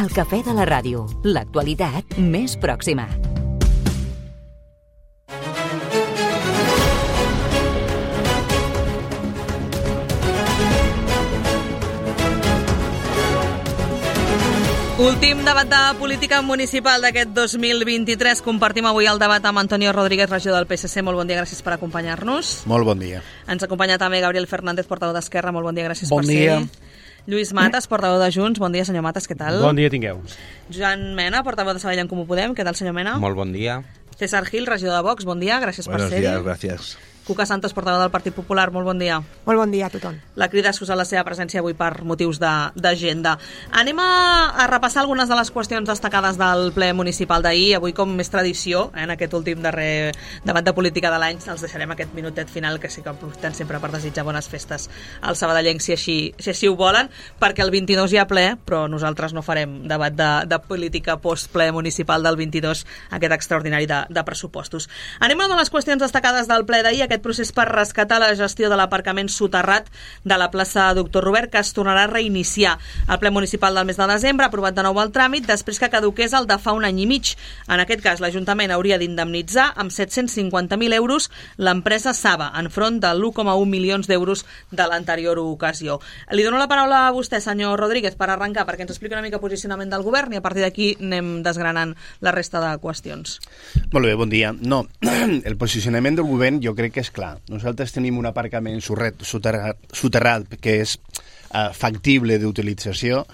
El cafè de la ràdio, l'actualitat més pròxima. Últim debat de política municipal d'aquest 2023. Compartim avui el debat amb Antonio Rodríguez, regidor del PSC. Molt bon dia, gràcies per acompanyar-nos. Molt bon dia. Ens acompanya també Gabriel Fernández, portaveu d'Esquerra. Molt bon dia, gràcies per ser. Lluís Matas, portaveu de Junts. Bon dia, senyor Matas, què tal? Bon dia tingueu. Joan Mena, portaveu de Sabadell en Comú Podem. Què tal, senyor Mena? Molt bon dia. César Gil, regidor de Vox. Bon dia, gràcies per ser-hi. Buenos días, gracias. Cuca Santos, portaveu del Partit Popular, molt bon dia. Molt bon dia a tothom. La crida excusa la seva presència avui per motius d'agenda. Anem a repassar algunes de les qüestions destacades del ple municipal d'ahir. Avui, com més tradició, en aquest últim darrer debat de política de l'any, els deixarem aquest minutet final, que sí que aprofitem sempre per desitjar bones festes als sabadellencs, si així ho volen, perquè el 22 hi ha ple, però nosaltres no farem debat de política post-ple municipal del 22, aquest extraordinari de pressupostos. Anem a una de les qüestions destacades del ple d'ahir, aquest procés per rescatar la gestió de l'aparcament soterrat de la plaça Doctor Robert, que es tornarà a reiniciar. El ple municipal del mes de desembre ha aprovat de nou el tràmit després que caduqués el de fa un any i mig. En aquest cas, l'Ajuntament hauria d'indemnitzar amb 750.000 euros l'empresa Saba, enfront de l'1,1 milions d'euros de l'anterior ocasió. Li dono la paraula a vostè, senyor Rodríguez, per arrencar, perquè ens expliqui una mica el posicionament del govern i a partir d'aquí anem desgranant la resta de qüestions. Molt bé, bon dia. No, el posicionament del govern jo crec que és clar. Nosaltres tenim un aparcament soterrat que és factible d'utilització.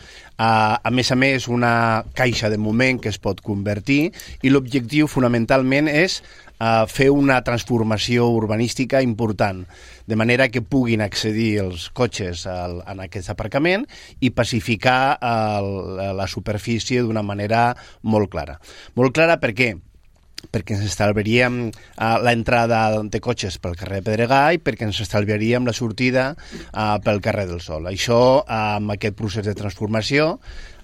A més, una caixa de moment que es pot convertir, i l'objectiu fonamentalment és fer una transformació urbanística important, de manera que puguin accedir els cotxes en aquest aparcament i pacificar la superfície d'una manera molt clara. Molt clara per què? Perquè ens estalviaríem l'entrada de cotxes pel carrer Pedregà i perquè ens estalviaríem la sortida pel carrer del Sol. Això, amb aquest procés de transformació,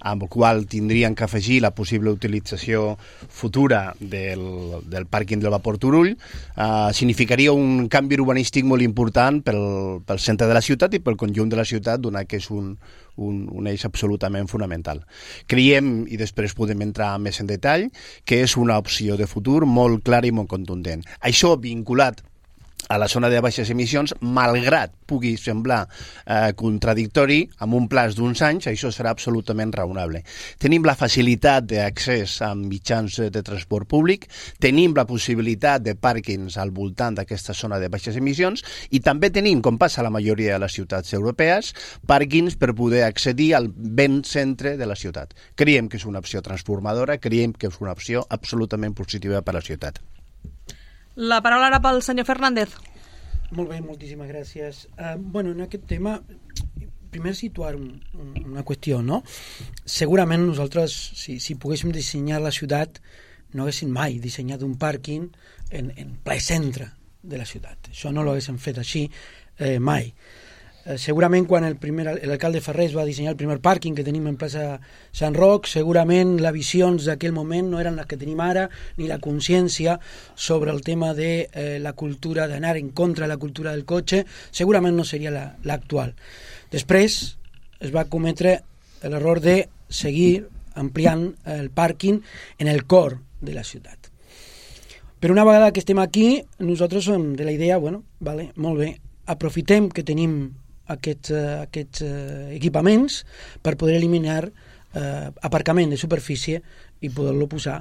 amb el qual tindrien que afegir la possible utilització futura del pàrquing del Vapor Turull, significaria un canvi urbanístic molt important pel centre de la ciutat i pel conjunt de la ciutat, donat que és un eix absolutament fonamental. Creiem, i després podem entrar més en detall, que és una opció de futur molt clara i molt contundent. Això vinculat a la zona de baixes emissions, malgrat pugui semblar contradictori, amb un plaç d'uns anys, això serà absolutament raonable. Tenim la facilitat d'accés a mitjans de transport públic, tenim la possibilitat de pàrquings al voltant d'aquesta zona de baixes emissions i també tenim, com passa a la majoria de les ciutats europees, pàrquings per poder accedir al ben centre de la ciutat. Creiem que és una opció transformadora, creiem que és una opció absolutament positiva per a la ciutat. La paraula ara pel senyor Fernández. Molt bé, moltíssimes gràcies. En aquest tema, primer situar una qüestió, no? Segurament nosaltres, si poguéssim dissenyar la ciutat, no haguéssim mai dissenyat un pàrquing en ple centre de la ciutat. Això no l'haguéssim fet així mai. Segurament quan l'alcalde Ferrés va dissenyar el primer pàrquing que tenim en plaça Sant Roc, segurament les visions d'aquell moment no eren les que tenim ara, ni la consciència sobre el tema de la cultura, d'anar en contra de la cultura del cotxe, segurament no seria l'actual. Després es va cometre l'error de seguir ampliant el pàrquing en el cor de la ciutat. Però una vegada que estem aquí, nosaltres som de la idea, molt bé, aprofitem que tenim aquests equipaments per poder eliminar aparcament de superfície i poder-lo posar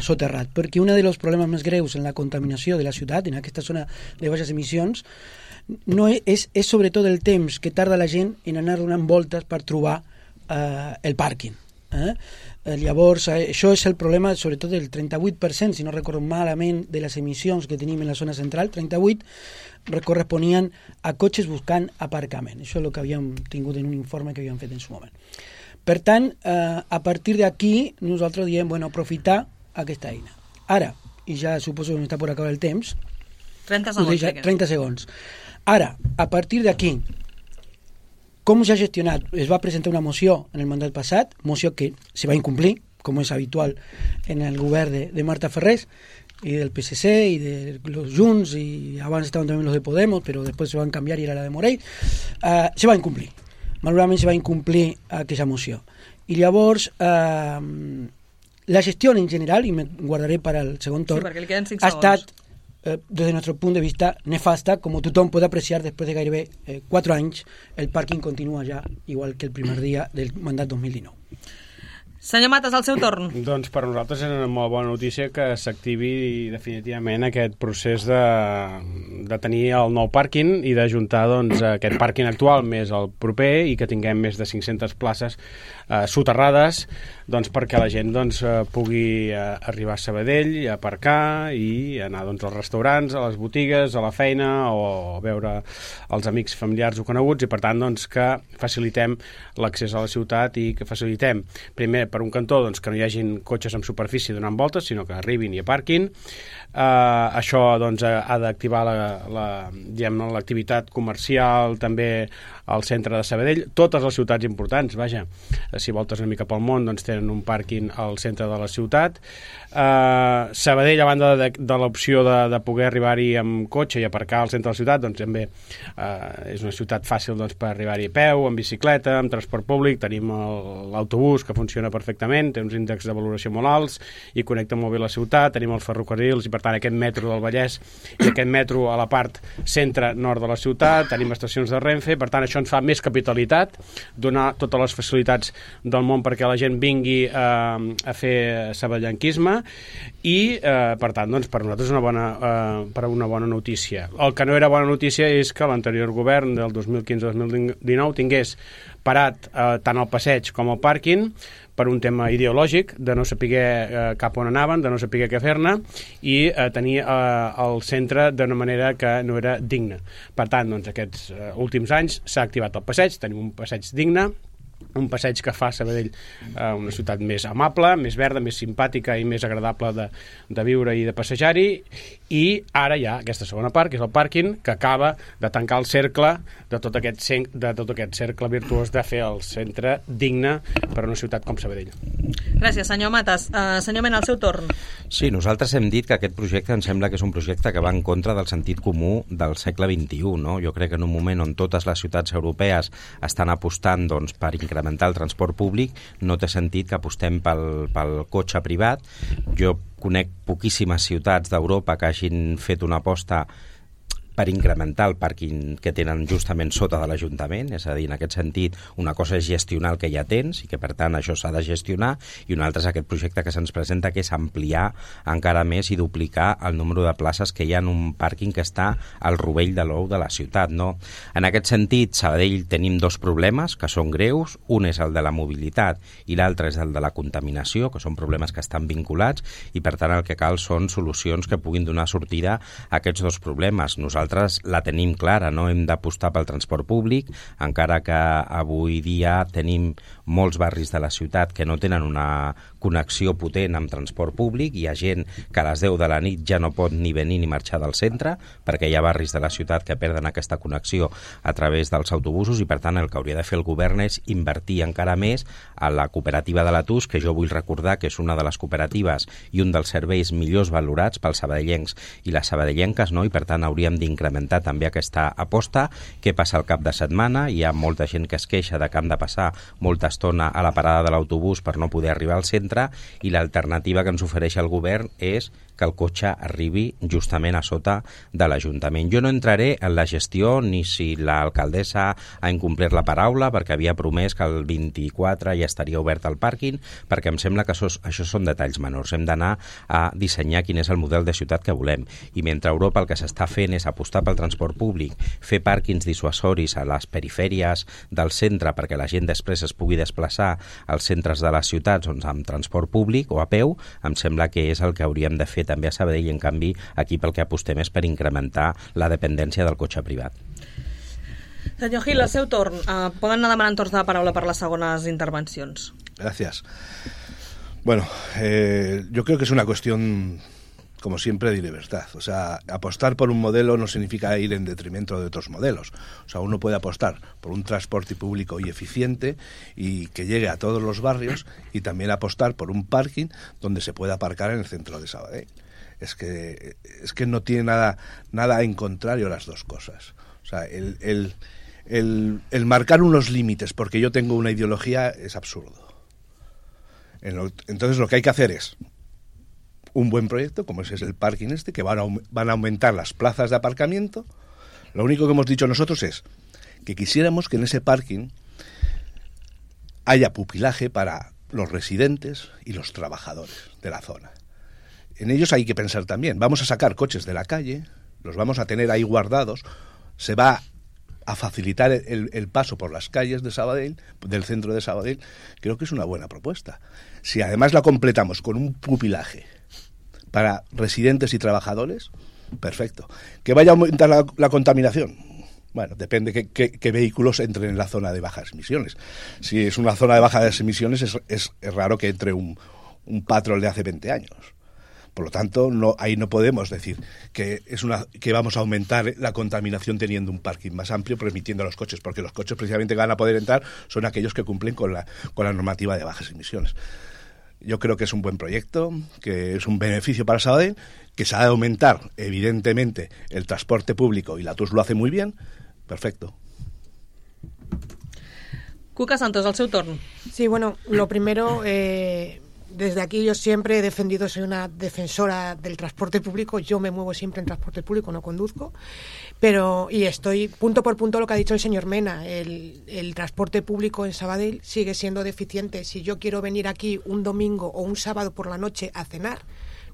soterrat, perquè un dels problemes més greus en la contaminació de la ciutat, en aquesta zona de baixes emissions, no és sobretot el temps que tarda la gent en anar donant voltes per trobar el pàrquing. Llavors, això és el problema sobretot del 38%, si no recordo malament, de les emissions que tenim en la zona central, 38 corresponien a cotxes buscant aparcament. Això és el que havíem tingut en un informe que havíem fet en su moment. Per tant, a partir d'aquí, nosaltres diem, aprofitar aquesta eina. Ara, i ja suposo que m'està per acabar el temps, 30 segons. Ara, a partir d'aquí, com s'ha gestionat? Es va presentar una moció en el mandat passat, moció que se va incomplir, com és habitual en el govern de Marta Ferrés, y del PSC y de los Junts, y abans estaban también los de Podemos, pero después se van a cambiar y era la de Morell, se va a incumplir. malauradament se va incomplir aquesta moció. I llavors, la gestió en general, i me guardaré per al segon torn, ha estat, desde nuestro punto de vista, nefasta, como tothom pot apreciar después de gairebé 4 anys, el pàrquing continua ja igual que el primer dia del mandat 2019. Senyor Matas, al seu torn. Doncs per nosaltres és una molt bona notícia que s'activi definitivament aquest procés de tenir el nou pàrquing i d'ajuntar doncs, aquest pàrquing actual més el proper i que tinguem més de 500 places soterrades doncs, perquè la gent doncs, pugui arribar a Sabadell, a aparcar i anar doncs, als restaurants, a les botigues, a la feina o a veure els amics familiars o coneguts i per tant doncs, que facilitem l'accés a la ciutat i que facilitem primer per un cantó doncs, que no hi hagin cotxes en superfície donant voltes, sinó que arribin i aparquin. Això doncs, ha d'activar l'activitat comercial també al centre de Sabadell. Totes les ciutats importants, vaja, si voltes una mica pel món, doncs tenen un pàrquing al centre de la ciutat. Sabadell, a banda de l'opció de poder arribar-hi amb cotxe i aparcar al centre de la ciutat, doncs també és una ciutat fàcil doncs, per arribar-hi a peu, amb bicicleta, amb transport públic. Tenim l'autobús que funciona perfectament, té uns índexs de valoració molt alts i connecta molt bé la ciutat, tenim els ferrocarrils i per tant aquest metro del Vallès i aquest metro a la part centre-nord de la ciutat, tenim estacions de Renfe, per tant això ens fa més capitalitat, donar totes les facilitats del món perquè la gent vingui a fer sabadellenquisme i per tant doncs, per nosaltres és una bona notícia. El que no era bona notícia és que l'anterior govern del 2015-2019 tingués parat tant el passeig com el pàrquing per un tema ideològic, de no saber cap on anaven, de no saber què fer-ne i tenir el centre d'una manera que no era digna. Per tant, doncs, aquests últims anys s'ha activat el passeig, tenim un passeig digne, un passeig que fa Sabadell una ciutat més amable, més verda, més simpàtica i més agradable de viure i de passejar-hi, i ara hi ha aquesta segona part, que és el pàrquing, que acaba de tancar el cercle de tot aquest cercle virtuós de fer el centre digne per a una ciutat com Sabadell. Gràcies, senyor Matas. Senyor Mena, al seu torn. Sí, nosaltres hem dit que aquest projecte em sembla que és un projecte que va en contra del sentit comú del segle XXI, no? Jo crec que en un moment on totes les ciutats europees estan apostant doncs, per incrementar el transport públic, no té sentit que apostem pel cotxe privat. Jo conec poquíssimes ciutats d'Europa que hagin fet una aposta per incrementar el pàrquing que tenen justament sota de l'Ajuntament, és a dir, en aquest sentit, una cosa és gestionar el que ja tens i que, per tant, això s'ha de gestionar, i una altra és aquest projecte que se'ns presenta, que és ampliar encara més i duplicar el número de places que hi ha en un pàrquing que està al rovell de l'ou de la ciutat, no? En aquest sentit, Sabadell tenim dos problemes que són greus, un és el de la mobilitat i l'altre és el de la contaminació, que són problemes que estan vinculats, i per tant el que cal són solucions que puguin donar sortida a aquests dos problemes. Nosaltres la tenim clara, no hem d'apostar pel transport públic, encara que avui dia tenim molts barris de la ciutat que no tenen una connexió potent amb transport públic. Hi ha gent que a les 10 de la nit ja no pot ni venir ni marxar del centre perquè hi ha barris de la ciutat que perden aquesta connexió a través dels autobusos, i per tant el que hauria de fer el govern és invertir encara més a la cooperativa de l'Atus, que jo vull recordar que és una de les cooperatives i un dels serveis millors valorats pels sabadellencs i les sabadellenques, no? I per tant hauríem d'incrementar també aquesta aposta. Què passa al cap de setmana? Hi ha molta gent que es queixa de que han de passar molta estona a la parada de l'autobús per no poder arribar al centre, i l'alternativa que ens ofereix el govern és que el cotxe arribi justament a sota de l'Ajuntament. Jo no entraré en la gestió ni si l'alcaldessa ha incomplert la paraula, perquè havia promès que el 24 ja estaria obert el pàrquing, perquè em sembla que això són detalls menors. Hem d'anar a dissenyar quin és el model de ciutat que volem. I mentre a Europa el que s'està fent és apostar pel transport públic, fer pàrquings dissuasoris a les perifèries del centre perquè la gent després es pugui desplaçar als centres de les ciutats amb transport públic o a peu, em sembla que és el que hauríem de fer també a Sabadell, i en canvi aquí pel que apostem és per incrementar la dependència del cotxe privat. Senyor Gil, al seu torn. Poden anar demanant torns de paraula per les segones intervencions. Gracias. Bueno, yo creo que es una cuestión, como siempre, de libertad. O sea, apostar por un modelo no significa ir en detrimento de otros modelos. O sea, uno puede apostar por un transporte público y eficiente y que llegue a todos los barrios, y también apostar por un parking donde se pueda aparcar en el centro de Sabadell. Es que no tiene nada en contrario las dos cosas. O sea, el el marcar unos límites porque yo tengo una ideología es absurdo. Entonces lo que hay que hacer es un buen proyecto, como ese es el parking que van a aumentar las plazas de aparcamiento. Lo único que hemos dicho nosotros es que quisiéramos que en ese parking haya pupilaje para los residentes y los trabajadores de la zona. En ellos hay que pensar también. Vamos a sacar coches de la calle, los vamos a tener ahí guardados, se va a facilitar el paso por las calles de Sabadell, del centro de Sabadell. Creo que es una buena propuesta. Si además la completamos con un pupilaje para residentes y trabajadores, perfecto. ¿Que vaya a aumentar la contaminación? Bueno, depende qué vehículos entren en la zona de bajas emisiones. Si es una zona de bajas emisiones, es raro que entre un Patrol de hace 20 años. Por lo tanto, ahí no podemos decir que vamos a aumentar la contaminación teniendo un parking más amplio, permitiendo a los coches, porque los coches precisamente que van a poder entrar son aquellos que cumplen con la normativa de bajas emisiones. Yo creo que es un buen proyecto, que es un beneficio para Sabadell, que se ha de aumentar, evidentemente, el transporte público, y la TUS lo hace muy bien. Perfecto. Cuca Santos, al seu torn. Sí, bueno, lo primero... Desde aquí yo siempre he defendido, soy una defensora del transporte público, yo me muevo siempre en transporte público, no conduzco, y estoy punto por punto lo que ha dicho el señor Mena, el transporte público en Sabadell sigue siendo deficiente. Si yo quiero venir aquí un domingo o un sábado por la noche a cenar,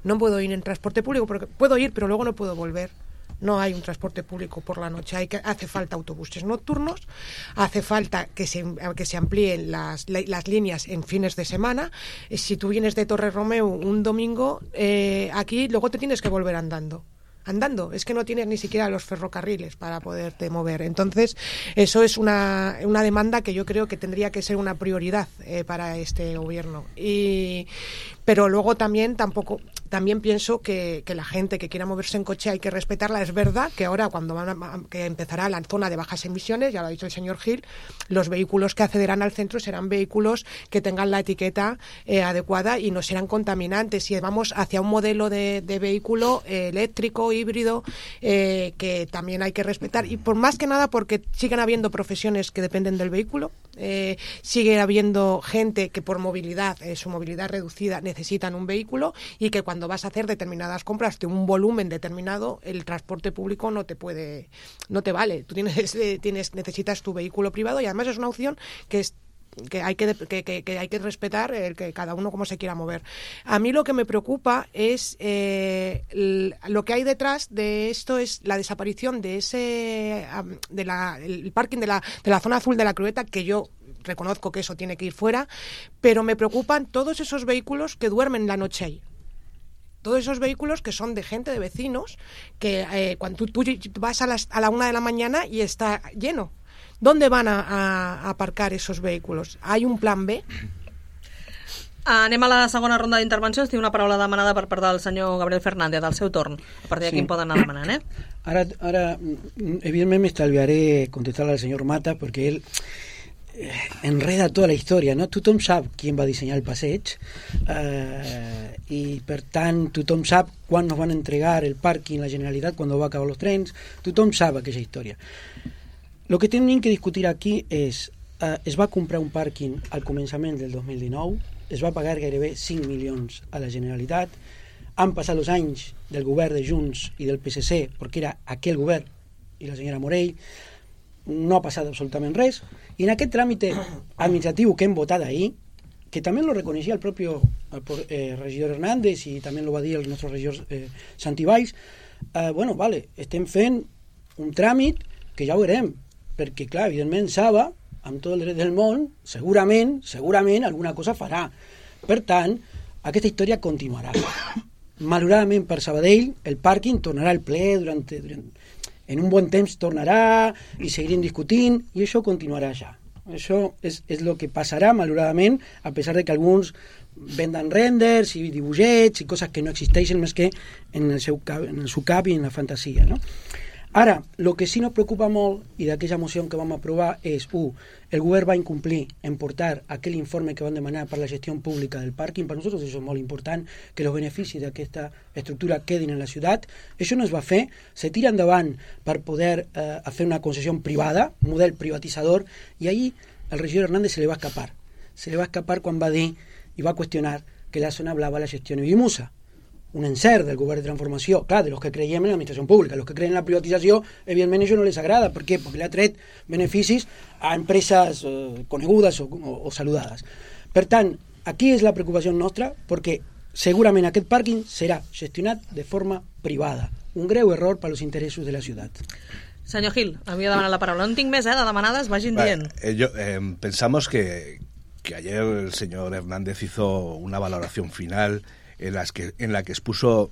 no puedo ir en transporte público, porque puedo ir pero luego no puedo volver. No hay un transporte público por la noche, hace falta autobuses nocturnos, hace falta que se amplíen las líneas en fines de semana. Si tú vienes de Torre Romeu un domingo, aquí luego te tienes que volver andando, es que no tienes ni siquiera los ferrocarriles para poderte mover. Entonces eso es una demanda que yo creo que tendría que ser una prioridad para este gobierno. Pero luego también pienso que la gente que quiera moverse en coche hay que respetarla. Es verdad que ahora cuando que empezará la zona de bajas emisiones, ya lo ha dicho el señor Gil, los vehículos que accederán al centro serán vehículos que tengan la etiqueta adecuada y no serán contaminantes. Y vamos hacia un modelo de vehículo eléctrico, híbrido, que también hay que respetar. Y por más que nada porque siguen habiendo profesiones que dependen del vehículo, sigue habiendo gente que por movilidad, su movilidad reducida, necesitan un vehículo, y que cuando vas a hacer determinadas compras de un volumen determinado, el transporte público no te vale. Tú necesitas tu vehículo privado, y además es una opción que hay que respetar, que cada uno como se quiera mover. A mí lo que me preocupa es lo que hay detrás de esto, es la desaparición de el parking de la zona azul de la Crueta, que yo reconozco que eso tiene que ir fuera, pero me preocupan todos esos vehículos que duermen la noche ahí. Todos esos vehículos que son de gente, de vecinos, que cuando tú vas a la 1 de la mañana y está lleno. ¿Dónde van a aparcar esos vehículos? ¿Hay un plan B? Anem a la segona ronda d'intervencions. Tinc una paraula demanada per part del senyor Gabriel Fernández, al seu torn. A partir d'aquí em poden anar demanant, Ara, evidentment m'estalviaré contestar al senyor Mata, perquè ell enreda tota la història, no? Tothom sap qui va dissenyar el passeig, i per tant tothom sap quan nos van entregar el parking la Generalitat, quan va acabar els trens, tothom sap aquella història. Lo que tenim que discutir aquí és, es va comprar un pàrquing al començament del 2019, es va pagar gairebé 5 milions a la Generalitat, han passat els anys del govern de Junts i del PSC, perquè era aquell govern i la senyora Morell, no ha passat absolutament res, i en aquest tràmit administratiu que hem votat ahir, que també lo reconeixia el propi regidor Hernández i també lo va dir el nostre regidor Santi Valls, estem fent un tràmit que ja ho veurem, perquè clar, evidentment Saba, amb tot el dret del món, segurament alguna cosa farà. Per tant, aquesta història continuarà. Malauradament per Sabadell, el pàrquing tornarà al ple en un bon temps tornarà i seguirem discutint i això continuarà ja. Això és el que passarà, malauradament, a pesar de que alguns venden renders i dibuixets i coses que no existeixen més que en el seu cap i en la fantasia, no? Ara, el que sí nos preocupa molt, i d'aquella moció que vam aprovar, és, el govern va incomplir en portar aquell informe que van demanar per la gestió pública del pàrquing. Per nosaltres això és molt important, que els beneficis d'aquesta estructura quedin en la ciutat. Això no es va fer, se tira endavant per poder fer una concessió privada, model privatitzador, i ahir el regidor Hernández se li va escapar. Se li va escapar quan va dir i va qüestionar que la zona blava la gestiona Vimusa. Un encert del govern de transformació, clar, de los que creiem en l'administració pública. Los que creiem en la privatització, evidentment, això no les agrada. Per què? Perquè li ha tret beneficis a empreses conegudes o saludades. Per tant, aquí és la preocupació nostra, perquè segurament aquest pàrquing serà gestionat de forma privada. Un greu error per als interessos de la ciutat. Senyor Gil, havia demanat la paraula. No en tinc més, de demanades, vagin dient. Pensamos que ayer el señor Hernández hizo una valoración final en la que expuso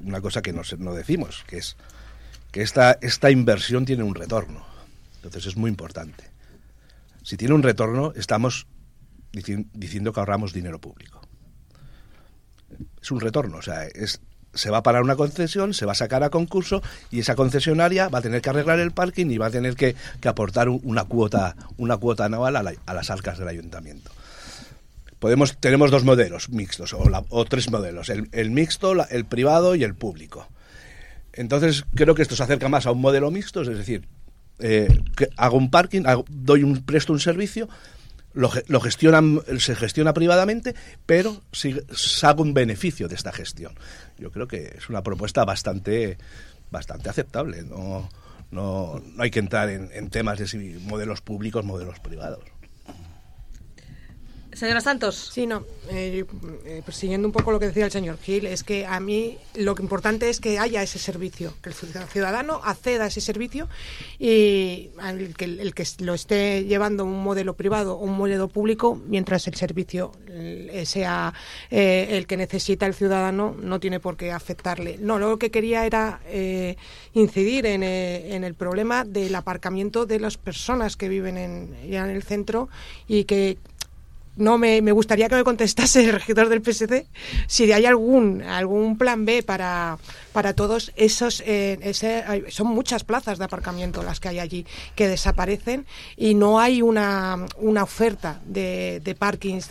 una cosa que no decimos, que es que esta inversión tiene un retorno. Entonces es muy importante. Si tiene un retorno, estamos diciendo que ahorramos dinero público. Es un retorno, o sea, se va a parar una concesión, se va a sacar a concurso y esa concesionaria va a tener que arreglar el parking y va a tener que aportar una cuota anual a las arcas del ayuntamiento. Tenemos dos modelos mixtos o tres modelos, el mixto, el privado y el público. Entonces creo que esto se acerca más a un modelo mixto, es decir, que hago un parking, presto un servicio, se gestiona privadamente, pero saco un beneficio de esta gestión. Yo creo que es una propuesta bastante aceptable. No hay que entrar en temas de si modelos públicos, modelos privados. Señora Santos. Sí, no, persiguiendo un poco lo que decía el señor Gil, es que a mí lo que importante es que haya ese servicio, que el ciudadano acceda a ese servicio y el que lo esté llevando un modelo privado o un modelo público, mientras el servicio sea el que necesita el ciudadano, no tiene por qué afectarle. No, lo que quería era incidir en el problema del aparcamiento de las personas que viven ya en el centro y que no me gustaría que me contestase el regidor del PSC si hay algún plan B para todos esos. Son muchas plazas de aparcamiento las que hay allí que desaparecen y no hay una oferta de parkings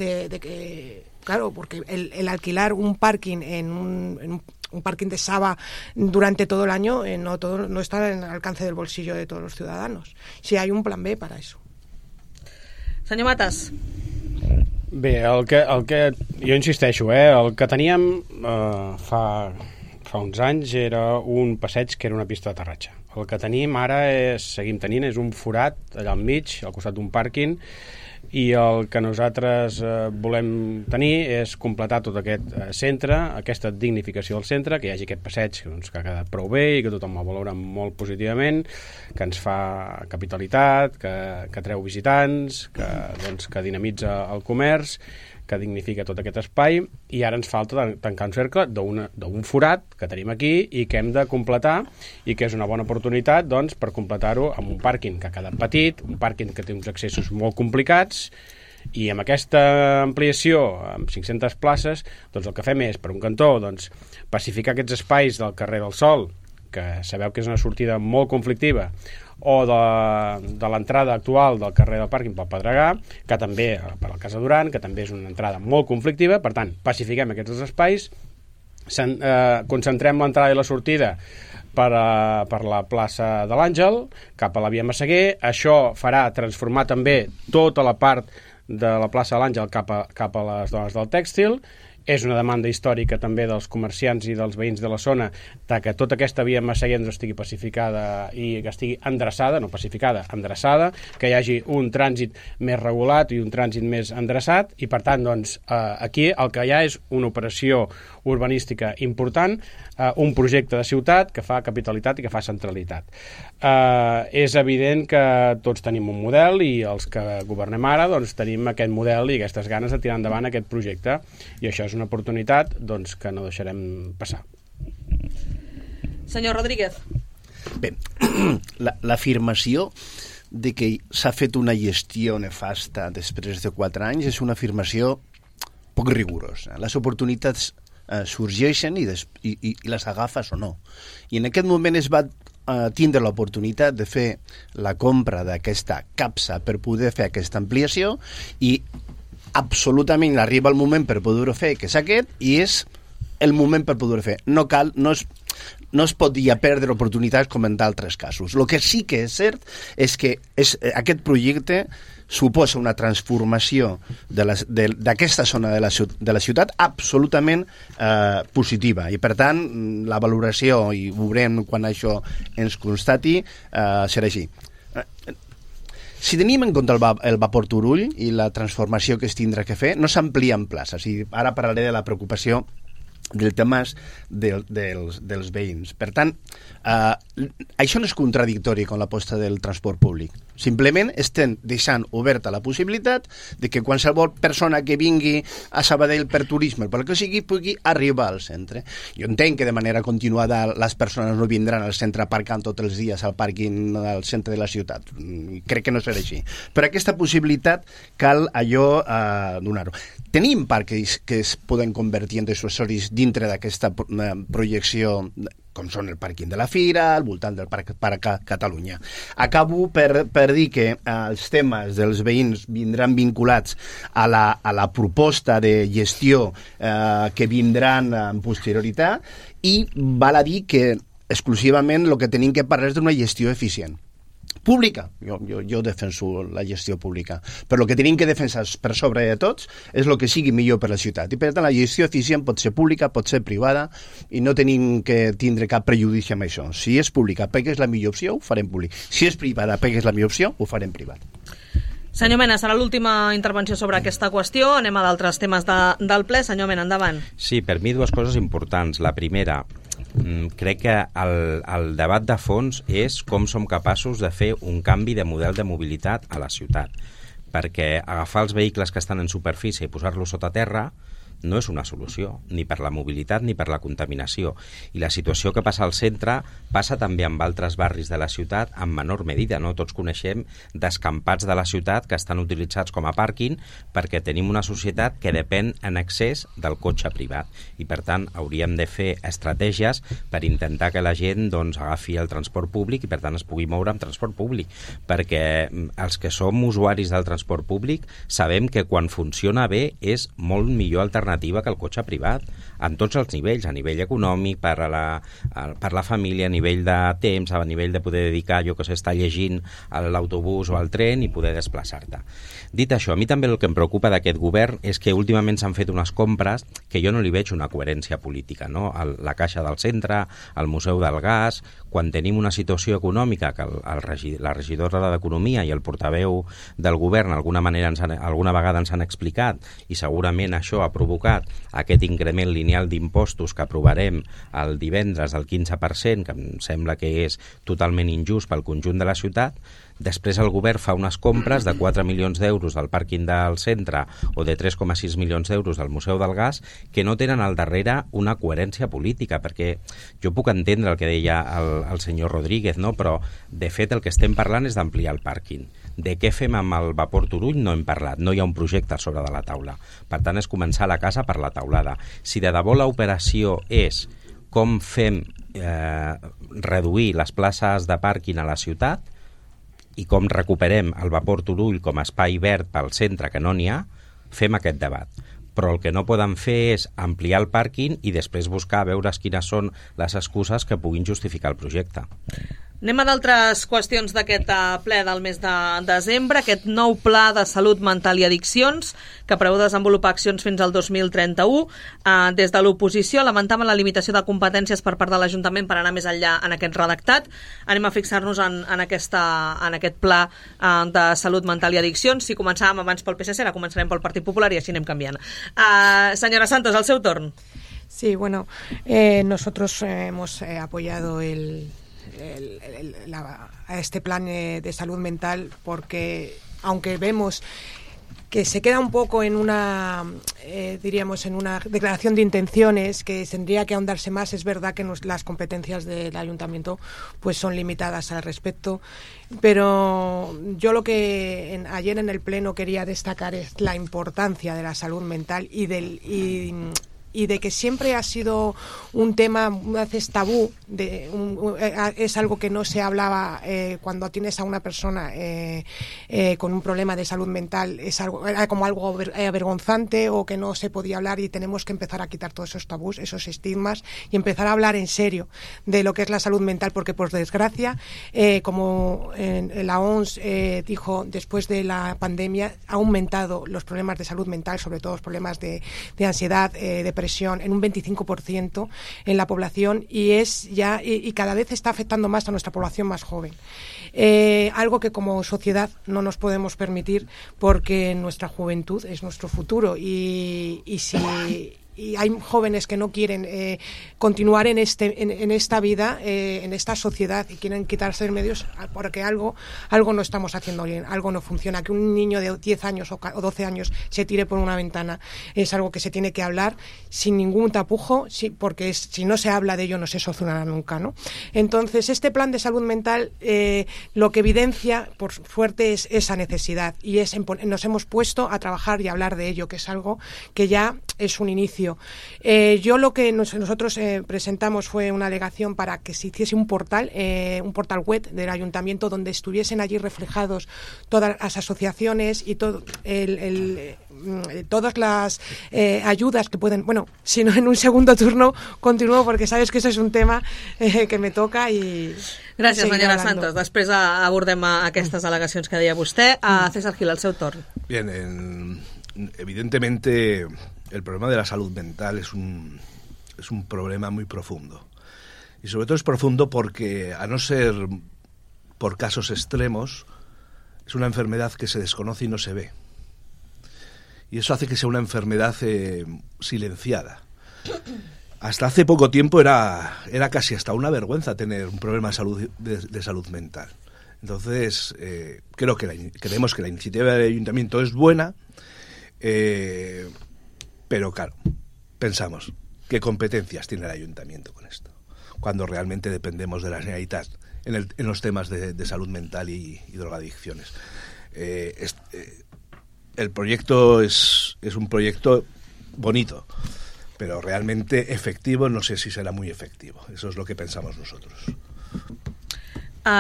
claro, porque el alquilar un parking en un parking de Saba durante todo el año no está en el alcance del bolsillo de todos los ciudadanos. Si hay un plan B para eso. Senyor Matas. Bé, el que jo insisteixo, el que teníem fa uns anys era un passeig que era una pista d'aterratge. El que tenim ara seguim tenint és un forat allà al mig, al costat d'un pàrquing, i el que nosaltres volem tenir és completar tot aquest centre, aquesta dignificació del centre, que hi hagi aquest passeig doncs, que ha quedat prou bé i que tothom el valora molt positivament, que ens fa capitalitat, que treu visitants, que dinamitza el comerç, que dignifica tot aquest espai, i ara ens falta tancar un cercle d'un forat que tenim aquí i que hem de completar, i que és una bona oportunitat doncs, per completar-ho amb un pàrquing que ha quedat petit, un pàrquing que té uns accessos molt complicats, i amb aquesta ampliació, amb 500 places, doncs el que fem és, per un cantó, doncs, pacificar aquests espais del carrer del Sol, que sabeu que és una sortida molt conflictiva, o de l'entrada actual del carrer del pàrquing pel Pedregà, que també per al Casa Duran, que també és una entrada molt conflictiva. Per tant, pacifiquem aquests dos espais, concentrem l'entrada i la sortida per la plaça de l'Àngel cap a la via Massaguer. Això farà transformar també tota la part de la plaça de l'Àngel cap a les dones del tèxtil. És una demanda històrica també dels comerciants i dels veïns de la zona de que tota aquesta via Massaguer estigui pacificada i que estigui endreçada, no pacificada, endreçada, que hi hagi un trànsit més regulat i un trànsit més endreçat, i per tant doncs, aquí el que hi ha és una operació urbanística important, un projecte de ciutat que fa capitalitat i que fa centralitat. És evident que tots tenim un model i els que governem ara doncs, tenim aquest model i aquestes ganes de tirar endavant aquest projecte, i això és una oportunitat doncs, que no deixarem passar. Senyor Rodríguez. Bé, l'afirmació de que s'ha fet una gestió nefasta després de 4 anys és una afirmació poc rigorosa. Les oportunitats sorgeixen i les agafes o no. I en aquest moment es va tindre l'oportunitat de fer la compra d'aquesta capsa per poder fer aquesta ampliació i absolutament arriba el moment per poder-ho fer, que és aquest, i és el moment per poder-ho fer. No es pot ja perdre oportunitats com en d'altres casos. El que sí que és cert és que aquest projecte suposa una transformació d'aquesta zona de la ciutat absolutament positiva, i per tant la valoració, i ho veurem quan això ens constati, serà així. Si tenim en compte el vapor Turull i la transformació que es tindrà que fer, no s'amplien places, i ara parlaré de la preocupació del tema dels veïns. Per tant, això no és contradictori amb l'aposta del transport públic. Simplement estem deixant oberta la possibilitat de que qualsevol persona que vingui a Sabadell per turisme, per el que sigui, pugui arribar al centre. Jo entenc que de manera continuada les persones no vindran al centre aparcant tots els dies al pàrquing al centre de la ciutat. Crec que no serà així. Però aquesta possibilitat cal allò donar-ho. Tenim parcs que es poden convertir en accessoris dintre d'aquesta projecció, com són el pàrquing de la Fira, al voltant del Parc Catalunya. Acabo per dir que els temes dels veïns vindran vinculats a la proposta de gestió que vindran en posterioritat, i val a dir que exclusivament el que tenim que parlar és d'una gestió eficient. Pública, jo defenso la gestió pública, però el que tenim que defensar per sobre de tots és el que sigui millor per la ciutat, i per tant la gestió eficient pot ser pública, pot ser privada, i no tenim que tindre cap prejudici amb això. Si és pública perquè és la millor opció, ho farem públic. Si és privada perquè és la millor opció, ho farem privat. Senyor Mena, serà l'última intervenció sobre aquesta qüestió. Anem a d'altres temes del ple. Senyor Mena, endavant. Sí, per mi dues coses importants. La primera, crec que el debat de fons és com som capaços de fer un canvi de model de mobilitat a la ciutat, perquè agafar els vehicles que estan en superfície i posar-los sota terra no és una solució, ni per la mobilitat ni per la contaminació. I la situació que passa al centre passa també amb altres barris de la ciutat en menor medida, no? Tots coneixem descampats de la ciutat que estan utilitzats com a pàrquing perquè tenim una societat que depèn en excés del cotxe privat, i per tant hauríem de fer estratègies per intentar que la gent agafi el transport públic i per tant es pugui moure amb transport públic, perquè els que som usuaris del transport públic sabem que quan funciona bé és molt millor alternativa que el cotxe privat, en tots els nivells, a nivell econòmic, per la família, a nivell de temps, a nivell de poder dedicar, estar llegint a l'autobús o al tren i poder desplaçar-te. Dit això, a mi també el que em preocupa d'aquest govern és que últimament s'han fet unes compres que jo no li veig una coherència política, no? La Caixa del Centre, el Museu del Gas, quan tenim una situació econòmica que la regidora d'Economia i el portaveu del govern alguna vegada ens han explicat, i segurament això ha provocat aquest increment lineal d'impostos que aprovarem el divendres del 15%, que em sembla que és totalment injust pel conjunt de la ciutat. Després el govern fa unes compres de 4 milions d'euros del pàrquing del centre o de 3,6 milions d'euros del Museu del Gas, que no tenen al darrere una coherència política, perquè jo puc entendre el que deia el senyor Rodríguez, no? Però de fet el que estem parlant és d'ampliar el pàrquing. De què fem amb el vapor Turull no hem parlat, no hi ha un projecte a sobre de la taula. Per tant, és començar la casa per la taulada. Si de debò l'operació és com fem reduir les places de pàrquing a la ciutat i com recuperem el vapor Turull com a espai verd pel centre, que no n'hi ha, fem aquest debat. Però el que no poden fer és ampliar el pàrquing i després buscar a veure quines són les excuses que puguin justificar el projecte. Anem a d'altres qüestions d'aquest ple del mes de desembre, aquest nou pla de salut mental i addiccions que preveu desenvolupar accions fins al 2031. Des de l'oposició lamentaven la limitació de competències per part de l'Ajuntament per anar més enllà en aquest redactat. Anem a fixar-nos en aquest pla de salut mental i addiccions. Si començàvem abans pel PSC, ara començarem pel Partit Popular i així anem canviant. Senyora Santos, al seu torn. Sí, bueno, nosotros hemos apoyado a este plan de salud mental porque, aunque vemos que se queda un poco en una, diríamos, en una declaración de intenciones que tendría que ahondarse más, es verdad que las competencias del ayuntamiento pues son limitadas al respecto, pero yo lo que ayer en el pleno quería destacar es la importancia de la salud mental y y de que siempre ha sido un tema a veces tabú, es algo que no se hablaba cuando tienes a una persona con un problema de salud mental, era como algo avergonzante o que no se podía hablar, y tenemos que empezar a quitar todos esos tabús, esos estigmas, y empezar a hablar en serio de lo que es la salud mental, porque por desgracia, como la OMS dijo, después de la pandemia ha aumentado los problemas de salud mental, sobre todo los problemas de ansiedad, depresión, en un 25% en la población, y cada vez está afectando más a nuestra población más joven. Algo que como sociedad no nos podemos permitir, porque nuestra juventud es nuestro futuro, y hay jóvenes que no quieren continuar en esta vida, en esta sociedad, y quieren quitarse de medios porque algo no estamos haciendo bien, algo no funciona. Que un niño de 10 años o 12 años se tire por una ventana es algo que se tiene que hablar sin ningún tapujo, porque si no se habla de ello no se solucionará nunca, ¿no? Entonces, este plan de salud mental lo que evidencia, por suerte, es esa necesidad, y nos hemos puesto a trabajar y a hablar de ello, que es algo que ya es un inicio. Yo lo que nosotros presentamos fue una alegación para que se hiciese un portal web del ayuntamiento donde estuviesen allí reflejados todas las asociaciones y todas las ayudas que pueden. Bueno, si no, en un segundo turno continúo, porque sabes que eso es un tema que me toca. I Gràcies, senyora Santos. Després abordem aquestes al·legacions que deia vostè. César Gil, al seu torn. Bien, evidentemente el problema de la salud mental es un problema muy profundo. Y sobre todo es profundo porque, a no ser por casos extremos, es una enfermedad que se desconoce y no se ve. Y eso hace que sea una enfermedad silenciada. Hasta hace poco tiempo era casi hasta una vergüenza tener un problema de salud mental. Entonces, creemos que la iniciativa del ayuntamiento es buena, pero claro, pensamos, ¿qué competencias tiene el ayuntamiento con esto? Cuando realmente dependemos de la Generalitat en los temas de salud mental y drogadicciones. El proyecto es un proyecto bonito, pero realmente efectivo no sé si serà muy efectivo. Eso es lo que pensamos nosotros.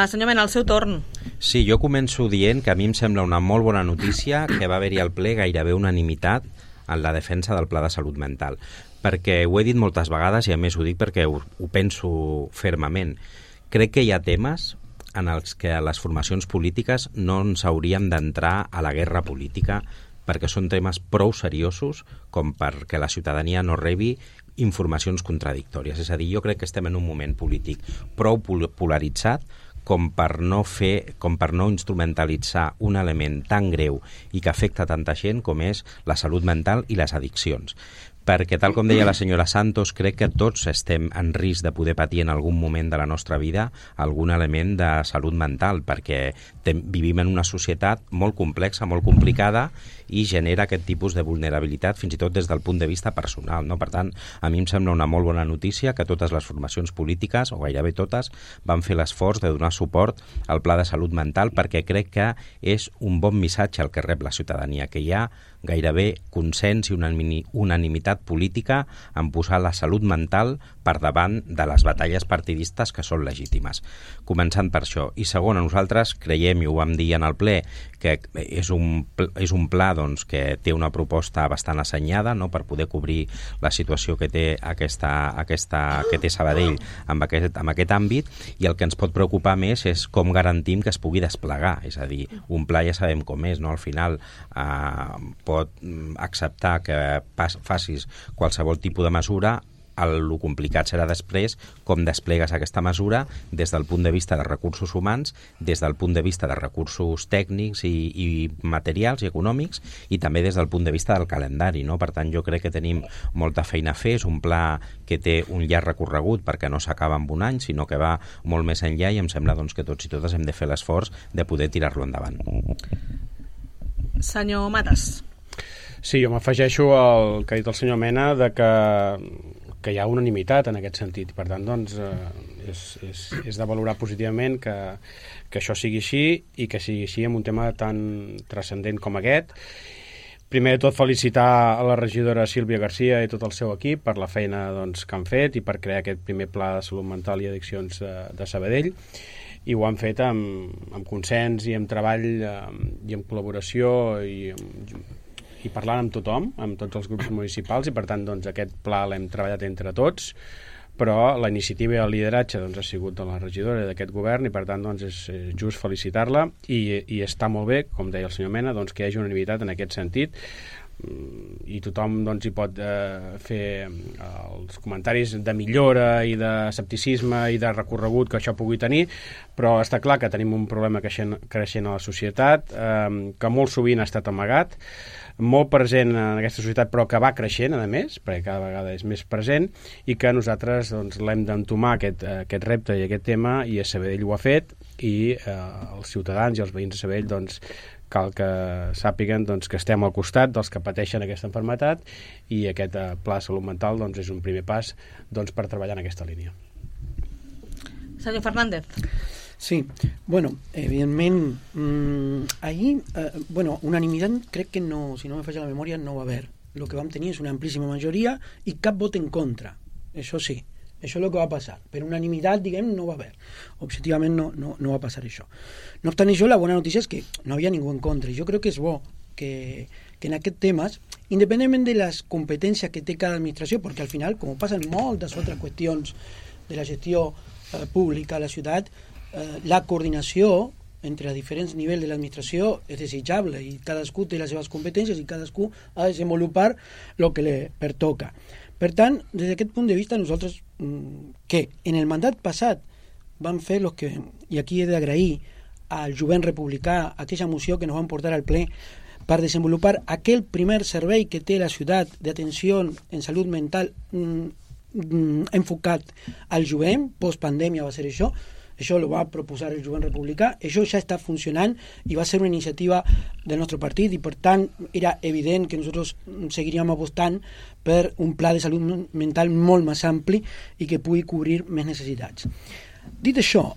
Senyor Mena, al seu torn. Sí, jo començo dient que a mi em sembla una molt bona notícia que va haver-hi al ple gairebé unanimitat en la defensa del Pla de Salut Mental, perquè ho he dit moltes vegades i a més ho dic perquè ho penso fermament. Crec que hi ha temes en els que les formacions polítiques no ens hauríem d'entrar a la guerra política, perquè són temes prou seriosos com perquè la ciutadania no rebi informacions contradictòries. És a dir, jo crec que estem en un moment polític prou polaritzat com per no instrumentalitzar un element tan greu i que afecta tanta gent com és la salut mental i les addiccions. Perquè, tal com deia la senyora Santos, crec que tots estem en risc de poder patir en algun moment de la nostra vida algun element de salut mental, perquè vivim en una societat molt complexa, molt complicada, i genera aquest tipus de vulnerabilitat fins i tot des del punt de vista personal, no? Per tant, a mi em sembla una molt bona notícia que totes les formacions polítiques, o gairebé totes, van fer l'esforç de donar suport al Pla de Salut Mental, perquè crec que és un bon missatge el que rep la ciutadania, que hi ha gairebé consens i unanimitat política en posar la salut mental per davant de les batalles partidistes que són legítimes. Començant per això. I segon, nosaltres creiem, i ho vam dir en el ple, que és un pla doncs, que té una proposta bastant assenyada, no?, per poder cobrir la situació que té que té Sabadell amb aquest àmbit, i el que ens pot preocupar més és com garantim que es pugui desplegar. És a dir, un pla ja sabem com és, no? Al final pot acceptar que facis qualsevol tipus de mesura. El complicat serà després com desplegues aquesta mesura des del punt de vista de recursos humans, des del punt de vista de recursos tècnics i materials i econòmics, i també des del punt de vista del calendari, no? Per tant, jo crec que tenim molta feina a fer. És un pla que té un llarg recorregut perquè no s'acaba en un any, sinó que va molt més enllà, i em sembla doncs, que tots i totes hem de fer l'esforç de poder tirar-lo endavant. Senyor Matas. Sí, jo m'afegeixo al que ha dit el senyor Mena de que hi ha unanimitat en aquest sentit. Per tant, doncs, és de valorar positivament que això sigui així, i que sigui així en un tema tan transcendent com aquest. Primer de tot, felicitar a la regidora Sílvia Garcia i tot el seu equip per la feina que han fet i per crear aquest primer pla de salut mental i addiccions de Sabadell, i ho han fet amb consens i amb treball i amb col·laboració i parlant amb tothom, amb tots els grups municipals, i per tant aquest pla l'hem treballat entre tots, però la iniciativa i el lideratge ha sigut de la regidora d'aquest govern, i per tant és just felicitar-la, i està molt bé, com deia el senyor Mena, que hi hagi unanimitat en aquest sentit, i tothom hi pot fer els comentaris de millora i d'escepticisme i de recorregut que això pugui tenir, però està clar que tenim un problema creixent a la societat, que molt sovint ha estat amagat, molt present en aquesta societat, però que va creixent, a més, perquè cada vegada és més present, i que nosaltres l'hem d'entomar aquest repte i aquest tema, i a Sabadell ho ha fet, i els ciutadans i els veïns de Sabadell cal que sàpiguen que estem al costat dels que pateixen aquesta malaltia, i aquest pla de salut mental és un primer pas per treballar en aquesta línia. Senyor Fernández. Sí, bueno, evidentment, ahir, unanimitat crec que no, si no me falla la memòria, no va haver. Lo que vam tenir és una amplíssima majoria i cap vot en contra, això sí. Això és el que va passar. Per unanimitat, no va haver. Objectivament no va passar això. No obstant això, la bona notícia és que no havia ningú en contra. Jo crec que és bo que en aquests temes, independentment de les competències que té cada administració, perquè al final, com passa en moltes altres qüestions de la gestió pública a la ciutat, la coordinació entre els diferents nivells de l'administració és desitjable, i cadascú té les seves competències i cadascú ha de desenvolupar el que li pertoca. Per tant, des d'aquest punt de vista, nosaltres, que en el mandat passat vam fer los que, i aquí he d'agrair al jovent republicà aquella moció que nos van portar al ple per desenvolupar aquell primer servei que té la ciutat d'atenció en salut mental enfocat al jovent, post-pandèmia va ser això lo va proposar el jovent republicà, això ja està funcionant i va ser una iniciativa del nostre partit, i per tant era evident que nosaltres seguiríem apostant per un pla de salut mental molt més ampli i que pugui cobrir més necessitats. Dit això,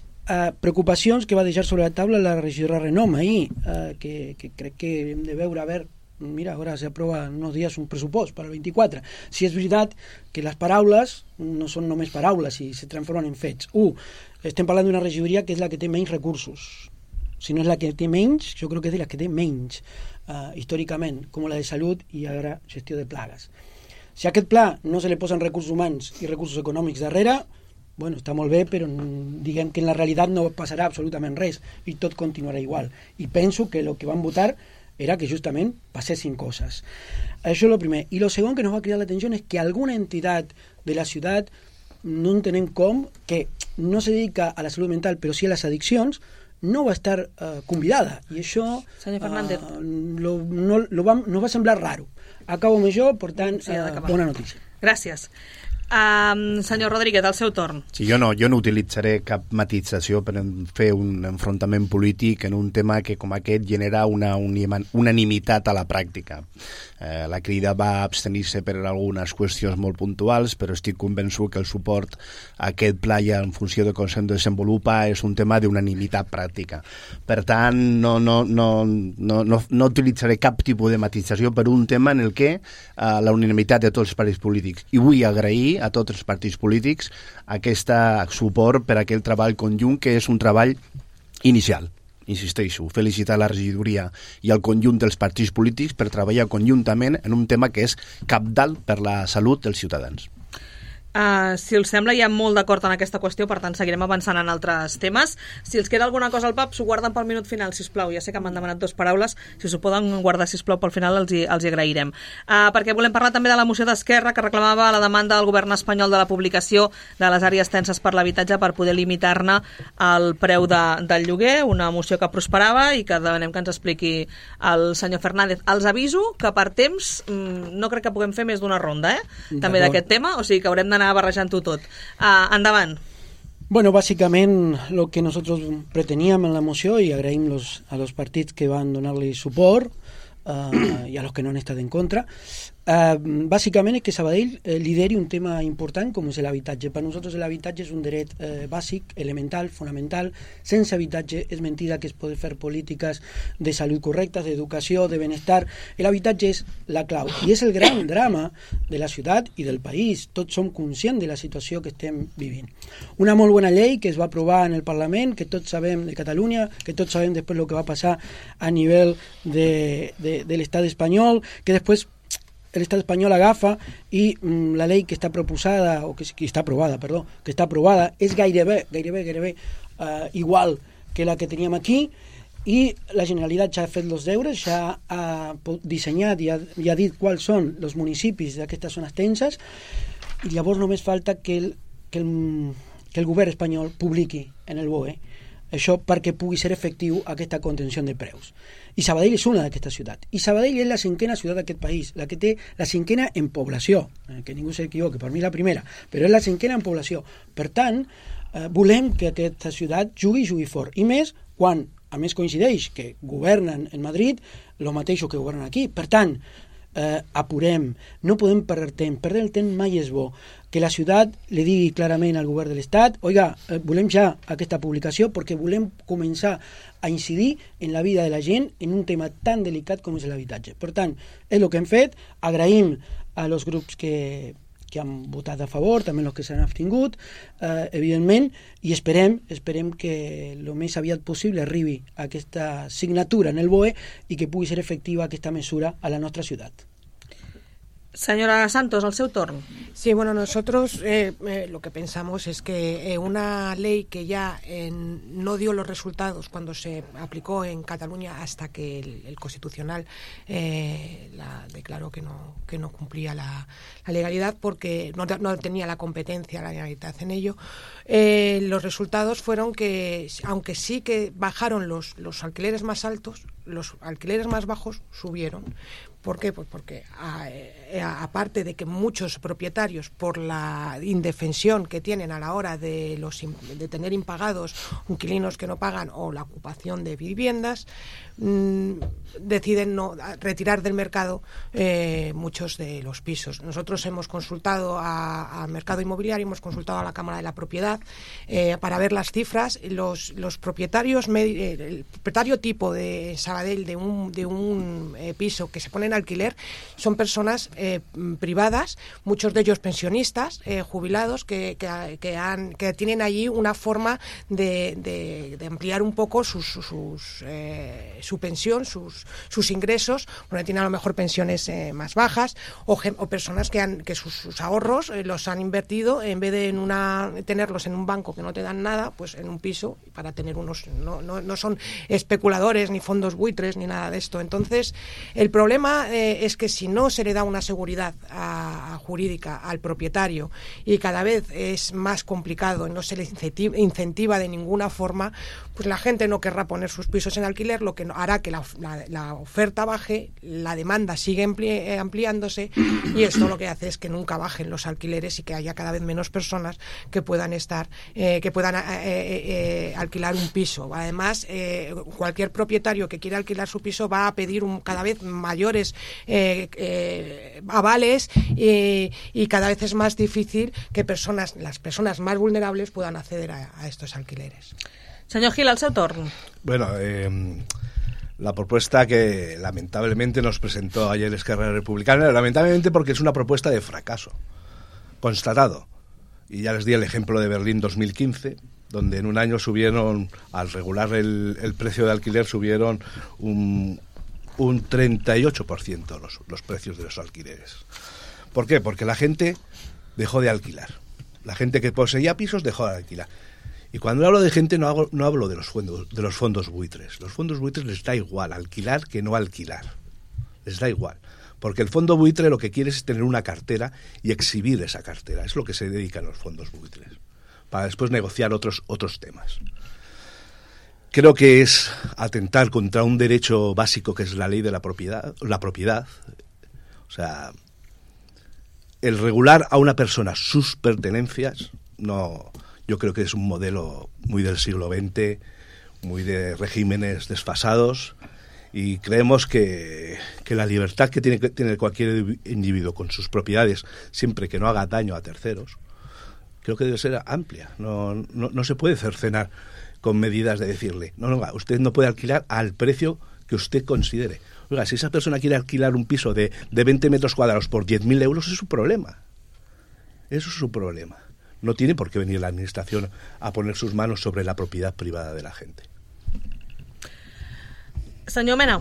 preocupacions que va deixar sobre la taula la regidora Renom ahir, que crec que hem de veure, mira, ara s'aprova en uns dies un pressupost per al 24. Si és veritat que les paraules no són només paraules i se transformen en fets. Estem parlant d'una regidoria que és la que té menys recursos. Si no és la que té menys, jo crec que és de la que té menys, històricament, com la de salut i ara gestió de plagues. Si a aquest pla no se li posen recursos humans i recursos econòmics darrere, està molt bé, però diguem que en la realitat no passarà absolutament res i tot continuarà igual. I penso que el que van votar era que justament passessin coses. Això és el primer. I el segon que nos va cridar l'atenció és que alguna entitat de la ciutat, no entenem com, que no se dedica a la salut mental però sí a les addiccions, no va estar convidada. I això no va semblar raro. Acabo amb això, per tant, bona notícia. Gràcies. Senyor Rodríguez, al seu torn. Sí, jo no utilitzaré cap matització per fer un enfrontament polític en un tema que com aquest genera una unanimitat a la pràctica. La Crida va abstenir-se per algunes qüestions molt puntuals, però estic convençut que el suport a aquest pla i en funció de com se'n desenvolupa és un tema d'unanimitat pràctica. Per tant, no utilitzaré cap tipus de matització per un tema en el que la unanimitat de tots els partits polítics. I vull agrair a tots els partits polítics aquest suport per a aquell treball conjunt, que és un treball inicial. Insisteixo, felicitar la regidoria i el conjunt dels partits polítics per treballar conjuntament en un tema que és cabdal per la salut dels ciutadans. Si us sembla, hi ha molt d'acord en aquesta qüestió, per tant seguirem avançant en altres temes. Si els queda alguna cosa al pap, s'ho guarden pel minut final, sisplau. Ja sé que m'han demanat 2 paraules, si s'ho poden guardar, sisplau, pel final els hi agrairem. Perquè volem parlar també de la moció d'Esquerra que reclamava la demanda del govern espanyol de la publicació de les àrees tenses per l'habitatge per poder limitar-ne el preu del lloguer, una moció que prosperava i que demanem que ens expliqui el senyor Fernández. Els aviso que per temps no crec que puguem fer més d'una ronda, també d'aquest tema, o sigui que haurem d'anar barrejant-ho tot. Endavant. Bueno, básicament lo que nosotros preteníamos en la moció, y agraïm a los partits que van donar-li suport, i a los que no han estat en contra. Bàsicament és que Sabadell lideri un tema important com és l'habitatge. Per nosaltres l'habitatge és un dret bàsic, elemental, fonamental. Sense habitatge és mentida que es poden fer polítiques de salut correctes, d'educació, de benestar. L'habitatge és la clau i és el gran drama de la ciutat i del país. Tots som conscients de la situació que estem vivint. Una molt bona llei que es va aprovar en el Parlament, que tots sabem de Catalunya, que tots sabem després el que va passar a nivell de l'estat espanyol, que després l'estat espanyol agafa i la llei que està proposada, o que està aprovada, perdó, que està aprovada és gairebé igual que la que teníem aquí, i la Generalitat ja ha fet els deures, ja ha dissenyat i ha dit quals són els municipis d'aquestes zones tenses, i llavors només falta que el govern espanyol publiqui en el BOE això perquè pugui ser efectiu aquesta contenció de preus. I Sabadell és una d'aquestes ciutats. I Sabadell és la cinquena ciutat d'aquest país, la que té la cinquena en població, que ningú s'equivoqui, per mi la primera, però és la cinquena en població. Per tant, volem que aquesta ciutat jugui fort. I més quan, a més, coincideix que governen en Madrid el mateix que governen aquí. Per tant, apurem, no podem perdre el temps mai és bo. Que la ciutat li digui clarament al govern de l'Estat: oiga, volem ja aquesta publicació perquè volem començar a incidir en la vida de la gent en un tema tan delicat com és l'habitatge. Per tant, és el que hem fet. Agraïm a los grups que han votat a favor, també els que s'han abstingut, evidentment, i esperem que el més aviat possible arribi aquesta signatura en el BOE i que pugui ser efectiva aquesta mesura a la nostra ciutat. Señora Santos, al seu torn. Sí, bueno, nosotros lo que pensamos es que una ley que ya no dio los resultados cuando se aplicó en Cataluña hasta que el Constitucional la declaró que no cumplía la legalidad porque no tenía la competencia, la legalidad en ello, los resultados fueron que, aunque sí que bajaron los alquileres más altos, los alquileres más bajos subieron. ¿Por qué? Pues porque aparte de que muchos propietarios, por la indefensión que tienen a la hora de tener impagados inquilinos que no pagan o la ocupación de viviendas, deciden no retirar del mercado muchos de los pisos. Nosotros hemos consultado al mercado inmobiliario, hemos consultado a la Cámara de la Propiedad para ver las cifras. Los propietarios, el propietario tipo de Sabadell de un piso que se pone en alquiler son personas privadas, muchos de ellos pensionistas, jubilados, que tienen allí una forma de ampliar un poco su pensión, sus ingresos, porque tienen a lo mejor pensiones más bajas, o personas que sus ahorros los han invertido, en vez de tenerlos en un banco que no te dan nada, pues en un piso, para tener unos... No son especuladores, ni fondos buitres, ni nada de esto. Entonces, el problema es que si no se le da una seguridad jurídica al propietario y cada vez es más complicado y no se le incentiva de ninguna forma, pues la gente no querrá poner sus pisos en alquiler, lo que hará que la oferta baje, la demanda sigue ampliándose y esto lo que hace es que nunca bajen los alquileres y que haya cada vez menos personas que puedan alquilar un piso. Además, cualquier propietario que quiera alquilar su piso va a pedir cada vez mayores avales y cada vez es más difícil que las personas más vulnerables puedan acceder a estos alquileres. Señor Gil, al seu torn. Bueno, la propuesta que lamentablemente nos presentó ayer Esquerra Republicana, lamentablemente porque es una propuesta de fracaso constatado. Y ya les di el ejemplo de Berlín 2015, donde en un año subieron, al regular el precio de alquiler, subieron un 38% los precios de los alquileres. ¿Por qué? Porque la gente dejó de alquilar. La gente que poseía pisos dejó de alquilar. Y cuando hablo de gente no hablo de los fondos buitres. Los fondos buitres les da igual alquilar que no alquilar. Les da igual. Porque el fondo buitre lo que quiere es tener una cartera y exhibir esa cartera. Es lo que se dedican los fondos buitres. Para después negociar otros temas. Creo que es atentar contra un derecho básico que es la ley de la propiedad. O sea, el regular a una persona sus pertenencias, no, yo creo que es un modelo muy del siglo XX, muy de regímenes desfasados Y creemos que la libertad que tiene cualquier individuo con sus propiedades, siempre que no haga daño a terceros, creo que debe ser amplia. No se puede cercenar con medidas de decirle, no, usted no puede alquilar al precio que usted considere. Oiga, si esa persona quiere alquilar un piso de 20 metros cuadrados por 10.000 euros, es su problema. Eso es su problema. No tiene por qué venir la administración a poner sus manos sobre la propiedad privada de la gente. Senyor Mena.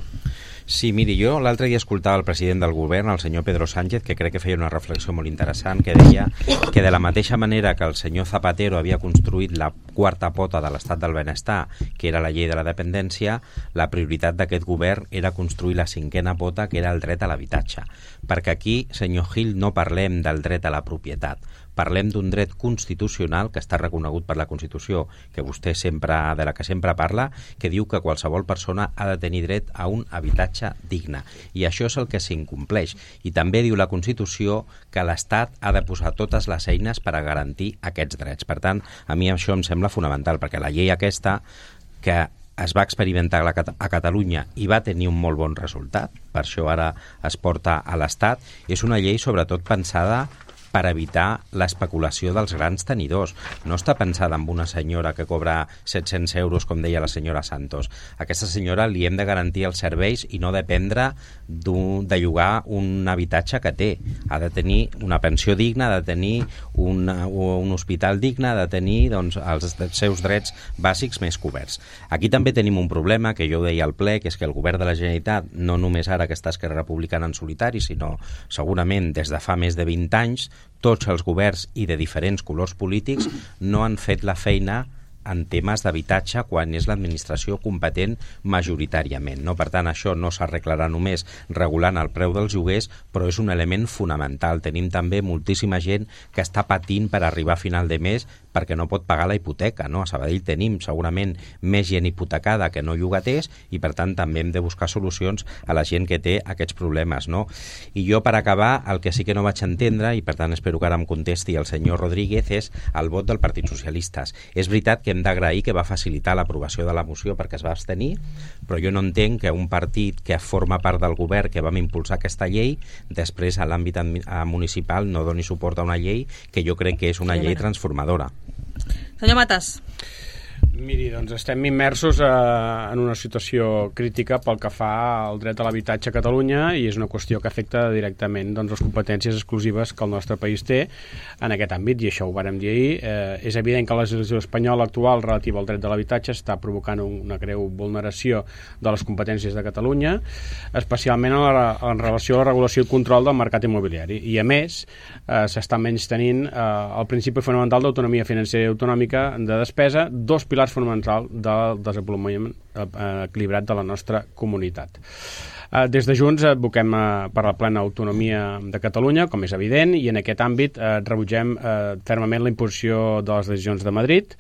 Sí, miri, jo l'altre dia escoltava el president del govern, el senyor Pedro Sánchez, que crec que feia una reflexió molt interessant, que deia que de la mateixa manera que el senyor Zapatero havia construït la quarta pota de l'estat del benestar, que era la llei de la dependència, la prioritat d'aquest govern era construir la cinquena pota, que era el dret a l'habitatge. Perquè aquí, senyor Gil, no parlem del dret a la propietat, parlem d'un dret constitucional que està reconegut per la Constitució, que vostè de la que sempre parla, que diu que qualsevol persona ha de tenir dret a un habitatge digne. I això és el que s'incompleix. I també diu la Constitució que l'Estat ha de posar totes les eines per a garantir aquests drets. Per tant, a mi això em sembla fonamental, perquè la llei aquesta, que es va experimentar a Catalunya i va tenir un molt bon resultat, per això ara es porta a l'Estat, és una llei sobretot pensada per evitar l'especulació dels grans tenidors. No està pensada en una senyora que cobra 700 euros, com deia la senyora Santos. A aquesta senyora li hem de garantir els serveis i no dependre de llogar un habitatge que té. Ha de tenir una pensió digna, ha de tenir un hospital digne, ha de tenir els seus drets bàsics més coberts. Aquí també tenim un problema, que jo ho deia al ple, que és que el govern de la Generalitat, no només ara que està Esquerra Republicana en solitari, sinó segurament des de fa més de 20 anys, tots els governs i de diferents colors polítics no han fet la feina en temes d'habitatge quan és l'administració competent majoritàriament. No? Per tant, això no s'arreglarà només regulant el preu dels lloguers, però és un element fonamental. Tenim també moltíssima gent que està patint per arribar a final de mes perquè no pot pagar la hipoteca. No? A Sabadell tenim segurament més gent hipotecada que no llogaters i per tant també hem de buscar solucions a la gent que té aquests problemes. No? I jo, per acabar, el que sí que no vaig entendre, i per tant espero que ara em contesti el senyor Rodríguez, és el vot del Partit Socialista. És veritat que hem d'agrair que va facilitar l'aprovació de la moció perquè es va abstenir, però jo no entenc que un partit que forma part del govern que vam impulsar aquesta llei, després a l'àmbit municipal no doni suport a una llei que jo crec que és una llei transformadora. Senyor Matas. Miri, doncs estem immersos en una situació crítica pel que fa al dret a l'habitatge a Catalunya i és una qüestió que afecta directament les competències exclusives que el nostre país té en aquest àmbit, i això ho vàrem dir ahir. És evident que la legislació espanyola actual relativa al dret de l'habitatge està provocant una greu vulneració de les competències de Catalunya, especialment en relació a la regulació i control del mercat immobiliari. I a més, s'està menystenint el principi fonamental d'autonomia financera i autonòmica de despesa, dos pilars fonamentals del desenvolupament equilibrat de la nostra comunitat. Des de Junts advoquem per la plena autonomia de Catalunya, com és evident, i en aquest àmbit rebutgem fermament la imposició de les decisions de Madrid,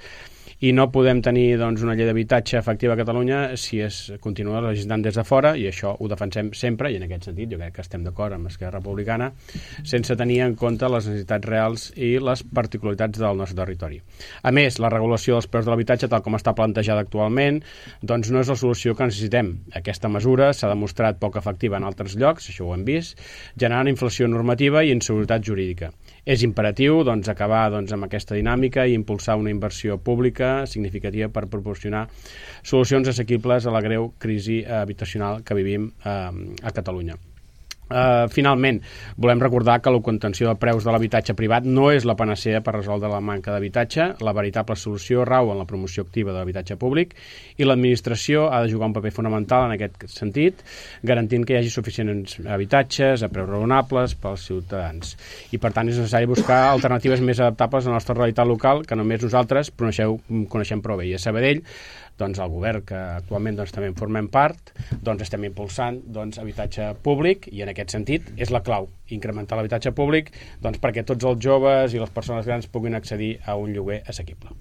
i no podem tenir una llei d'habitatge efectiva a Catalunya si es continua legislant des de fora, i això ho defensem sempre, i en aquest sentit jo crec que estem d'acord amb Esquerra Republicana, sense tenir en compte les necessitats reals i les particularitats del nostre territori. A més, la regulació dels preus de l'habitatge, tal com està plantejada actualment, doncs no és la solució que necessitem. Aquesta mesura s'ha demostrat poc efectiva en altres llocs, això ho hem vist, generant inflació normativa i inseguretat jurídica. És imperatiu acabar amb aquesta dinàmica i impulsar una inversió pública significativa per proporcionar solucions assequibles a la greu crisi habitacional que vivim a Catalunya. Finalment, volem recordar que la contenció de preus de l'habitatge privat no és la panacea per resoldre la manca d'habitatge. La veritable solució rau en la promoció activa de l'habitatge públic i l'administració ha de jugar un paper fonamental en aquest sentit, garantint que hi hagi suficients habitatges a preus raonables pels ciutadans. I per tant és necessari buscar alternatives més adaptables a la nostra realitat local que només nosaltres coneixem prou bé. I a Sabadell, el govern, que actualment també en formem part, estem impulsant habitatge públic, i en aquest sentit és la clau, incrementar l'habitatge públic perquè tots els joves i les persones grans puguin accedir a un lloguer assequible.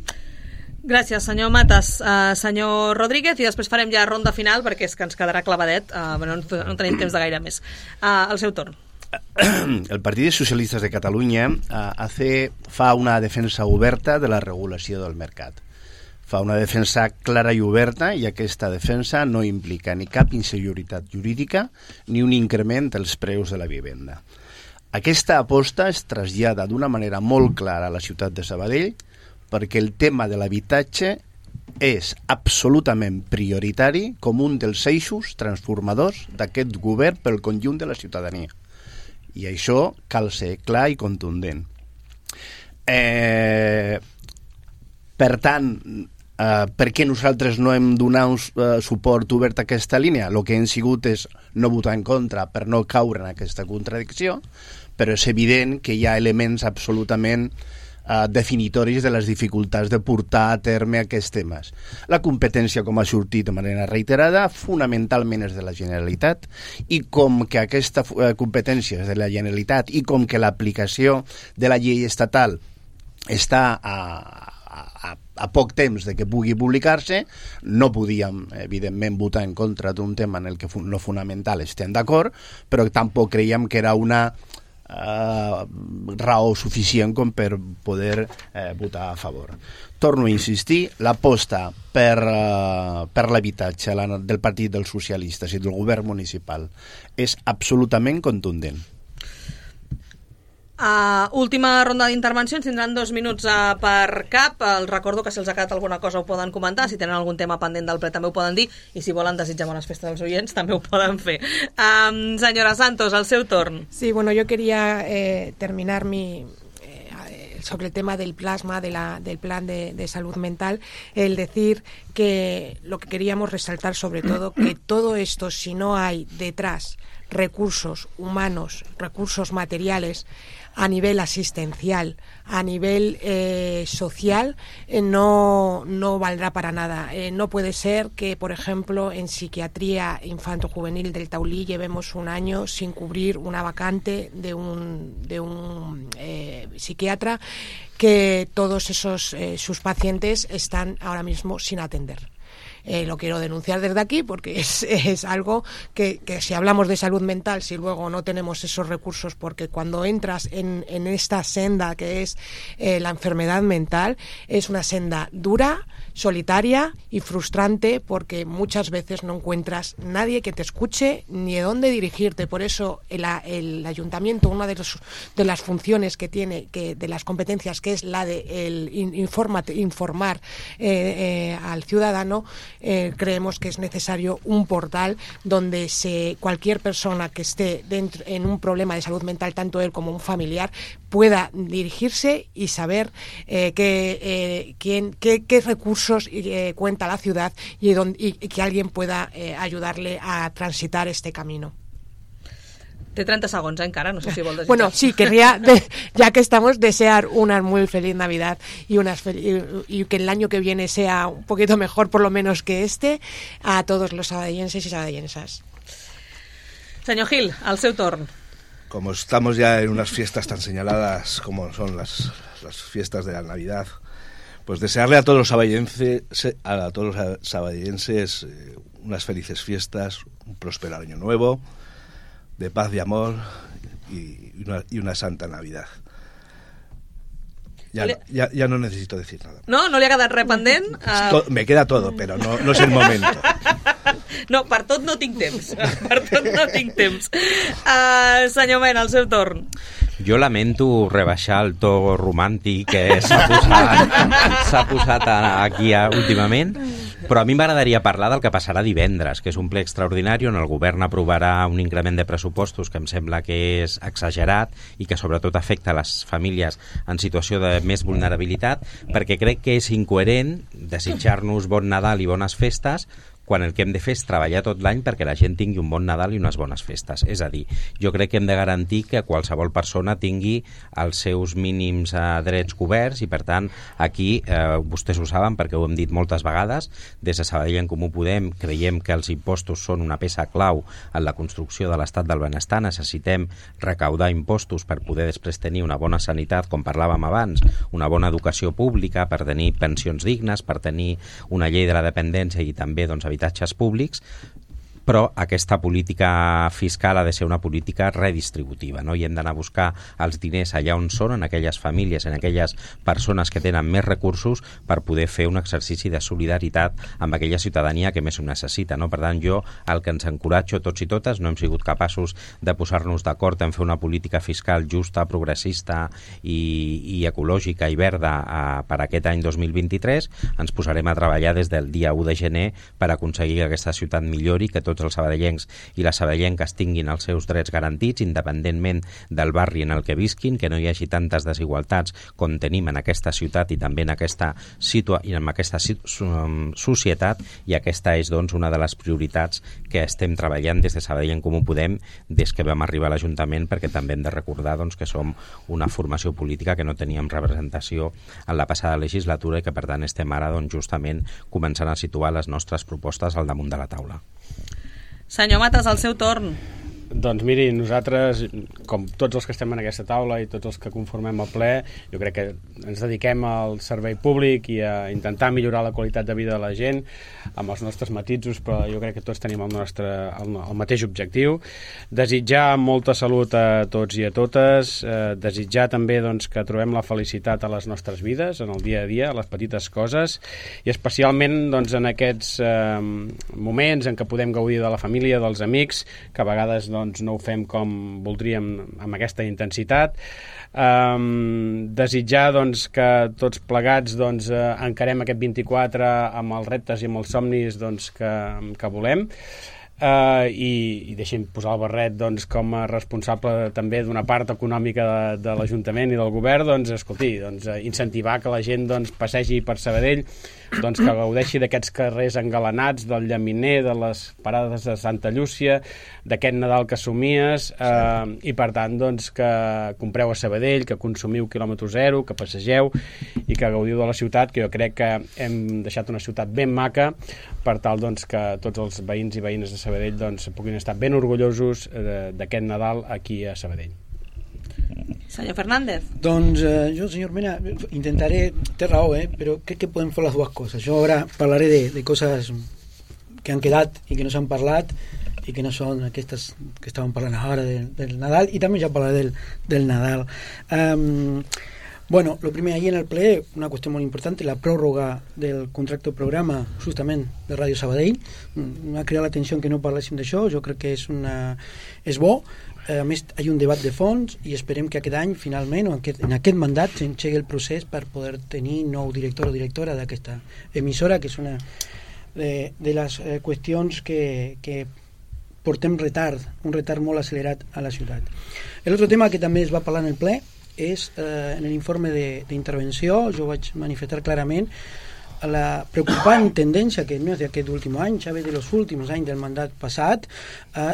Gràcies, senyor Matas. Senyor Rodríguez, i després farem ja ronda final perquè és que ens quedarà clavadet, no tenim temps de gaire més. El seu torn. El Partit dels Socialistes de Catalunya fa una defensa oberta de la regulació del mercat. fa una defensa clara i oberta i aquesta defensa no implica ni cap inseguretat jurídica ni un increment dels preus de la vivenda. Aquesta aposta es trasllada d'una manera molt clara a la ciutat de Sabadell perquè el tema de l'habitatge és absolutament prioritari com un dels eixos transformadors d'aquest govern pel conjunt de la ciutadania. I això cal ser clar i contundent. Per tant, per què nosaltres no hem donat suport obert a aquesta línia? El que hem sigut és no votar en contra per no caure en aquesta contradicció, però és evident que hi ha elements absolutament definitoris de les dificultats de portar a terme aquests temes. La competència, com ha sortit de manera reiterada, fonamentalment és de la Generalitat, i com que aquesta competència és de la Generalitat i com que l'aplicació de la llei estatal està a poc temps de que pugui publicar-se, no podíem, evidentment, votar en contra d'un tema en el que no fonamental estem d'acord, però tampoc creiem que era una raó suficient com per poder votar a favor. Torno a insistir, l'aposta per l'habitatge del Partit dels Socialistes i del govern municipal és absolutament contundent. Última ronda d'intervencions, tindran 2 minuts per cap. Els recordo que si els ha quedat alguna cosa ho poden comentar, si tenen algun tema pendent del ple també ho poden dir, i si volen desitjar bones festes als oients també ho poden fer. Senyora Santos, el seu torn. Sí, bueno, yo quería terminar sobre el tema del plasma, del plan de salud mental, el decir que lo que queríamos resaltar sobre todo, que todo esto, si no hay detrás recursos humanos, recursos materiales, a nivel asistencial, a nivel social, no valdrá para nada. No puede ser que, por ejemplo, en psiquiatría infanto-juvenil del Taulí llevemos un año sin cubrir una vacante de un psiquiatra, que todos esos sus pacientes están ahora mismo sin atender. Lo quiero denunciar desde aquí porque es algo que si hablamos de salud mental, si luego no tenemos esos recursos, porque cuando entras en esta senda que es la enfermedad mental, es una senda dura, solitaria y frustrante, porque muchas veces no encuentras nadie que te escuche ni de dónde dirigirte. Por eso el ayuntamiento, una de las funciones que tiene, de las competencias, que es la de informar al ciudadano, creemos que es necesario un portal donde cualquier persona que esté en un problema de salud mental, tanto él como un familiar, pueda dirigirse y saber qué recursos cuenta la ciudad y que alguien pueda ayudarle a transitar este camino. Té 30 segons, encara, no sé si vol desitjar. Bueno, sí, querría, ya que estamos, desear una muy feliz Navidad y que el año que viene sea un poquito mejor, por lo menos que a todos los sabadellenses y sabadellenses. Senyor Gil, al seu torn. Como estamos ya en unas fiestas tan señaladas como son las fiestas de la Navidad, pues desearle a todos los sabadellenses unas felices fiestas, un próspero año nuevo, de paz y amor y una santa Navidad. Ya no necesito decir nada. No li ha quedat res pendent? Me queda todo, pero no es el momento. No, per tot no tinc temps. Senyor Mena, el seu torn. Jo lamento rebaixar el to romàntic que s'ha posat aquí últimament, però a mi m'agradaria parlar del que passarà divendres, que és un ple extraordinari on el govern aprovarà un increment de pressupostos que em sembla que és exagerat i que sobretot afecta les famílies en situació de més vulnerabilitat, perquè crec que és incoherent desitjar-nos bon Nadal i bones festes quan el que hem de fer és treballar tot l'any perquè la gent tingui un bon Nadal i unes bones festes. És a dir, jo crec que hem de garantir que qualsevol persona tingui els seus mínims drets coberts i, per tant, aquí, vostès ho saben perquè ho hem dit moltes vegades, des de Sabadell en Comú Podem creiem que els impostos són una peça clau en la construcció de l'estat del benestar. Necessitem recaudar impostos per poder després tenir una bona sanitat, com parlàvem abans, una bona educació pública, per tenir pensions dignes, per tenir una llei de la dependència i també, doncs, habitatges públics, però aquesta política fiscal ha de ser una política redistributiva, no? I hem d'anar a buscar els diners allà on són, en aquelles famílies, en aquelles persones que tenen més recursos, per poder fer un exercici de solidaritat amb aquella ciutadania que més ho necessita, no? Per tant, jo el que ens encoratjo tots i totes, no hem sigut capaços de posar-nos d'acord en fer una política fiscal justa, progressista i ecològica i verda per aquest any 2023, ens posarem a treballar des del dia 1 de gener per aconseguir que aquesta ciutat millori, que tots els sabadellencs i les sabadellenques tinguin els seus drets garantits, independentment del barri en el que visquin, que no hi hagi tantes desigualtats com tenim en aquesta ciutat i també en aquesta societat, i aquesta és doncs una de les prioritats que estem treballant des de Sabadell en Comú Podem des que vam arribar a l'Ajuntament, perquè també hem de recordar doncs, que som una formació política que no teníem representació en la passada legislatura i que per tant estem ara doncs, justament començant a situar les nostres propostes al damunt de la taula. Senyor Matas, al seu torn. Doncs miri, nosaltres, com tots els que estem en aquesta taula i tots els que conformem el ple, jo crec que ens dediquem al servei públic i a intentar millorar la qualitat de vida de la gent amb els nostres matisos, però jo crec que tots tenim el mateix objectiu. Desitjar molta salut a tots i a totes, desitjar també doncs, que trobem la felicitat a les nostres vides, en el dia a dia, a les petites coses, i especialment doncs, en aquests moments en què podem gaudir de la família, dels amics, que a vegades doncs, no ho fem com voldríem amb aquesta intensitat. Desitjar doncs, que tots plegats doncs, encarem aquest 24 amb els reptes i amb els somnis doncs, que volem. I deixem posar el barret doncs, com a responsable també d'una part econòmica de l'Ajuntament i del Govern, doncs, escolti, doncs, incentivar que la gent doncs, passegi per Sabadell, doncs, que gaudeixi d'aquests carrers engalanats, del Llaminer, de les parades de Santa Llúcia, d'aquest Nadal que somies, i per tant doncs, que compreu a Sabadell, que consumiu quilòmetre zero, que passegeu i que gaudiu de la ciutat, que jo crec que hem deixat una ciutat ben maca per tal doncs, que tots els veïns i veïnes de Sabadell doncs, puguin estar ben orgullosos d'aquest Nadal aquí a Sabadell. Senyor Fernández. Doncs jo, senyor Mena, intentaré, té raó, però crec que podem fer les dues coses. Jo ara parlaré de coses que han quedat i que no s'han parlat i que no són aquestes que estàvem parlant ara del Nadal, i també ja parlaré del Nadal. Bueno, lo primer, ahir en el ple, una qüestió molt important, la pròrroga del contracte programa justament de Ràdio Sabadell. M'ha cridat l'atenció que no parléssim d'això, jo crec que és bo. A més, hi ha un debat de fons i esperem que aquest any, finalment, o en aquest mandat, s'engegui el procés per poder tenir nou director o directora d'aquesta emissora, que és una de les qüestions que portem un retard molt accelerat a la ciutat. L'altre tema que també es va parlar en el ple és en l'informe d'intervenció, jo vaig manifestar clarament la preocupant tendència, que no és d'aquest últim any, ja ve de los últims anys del mandat passat,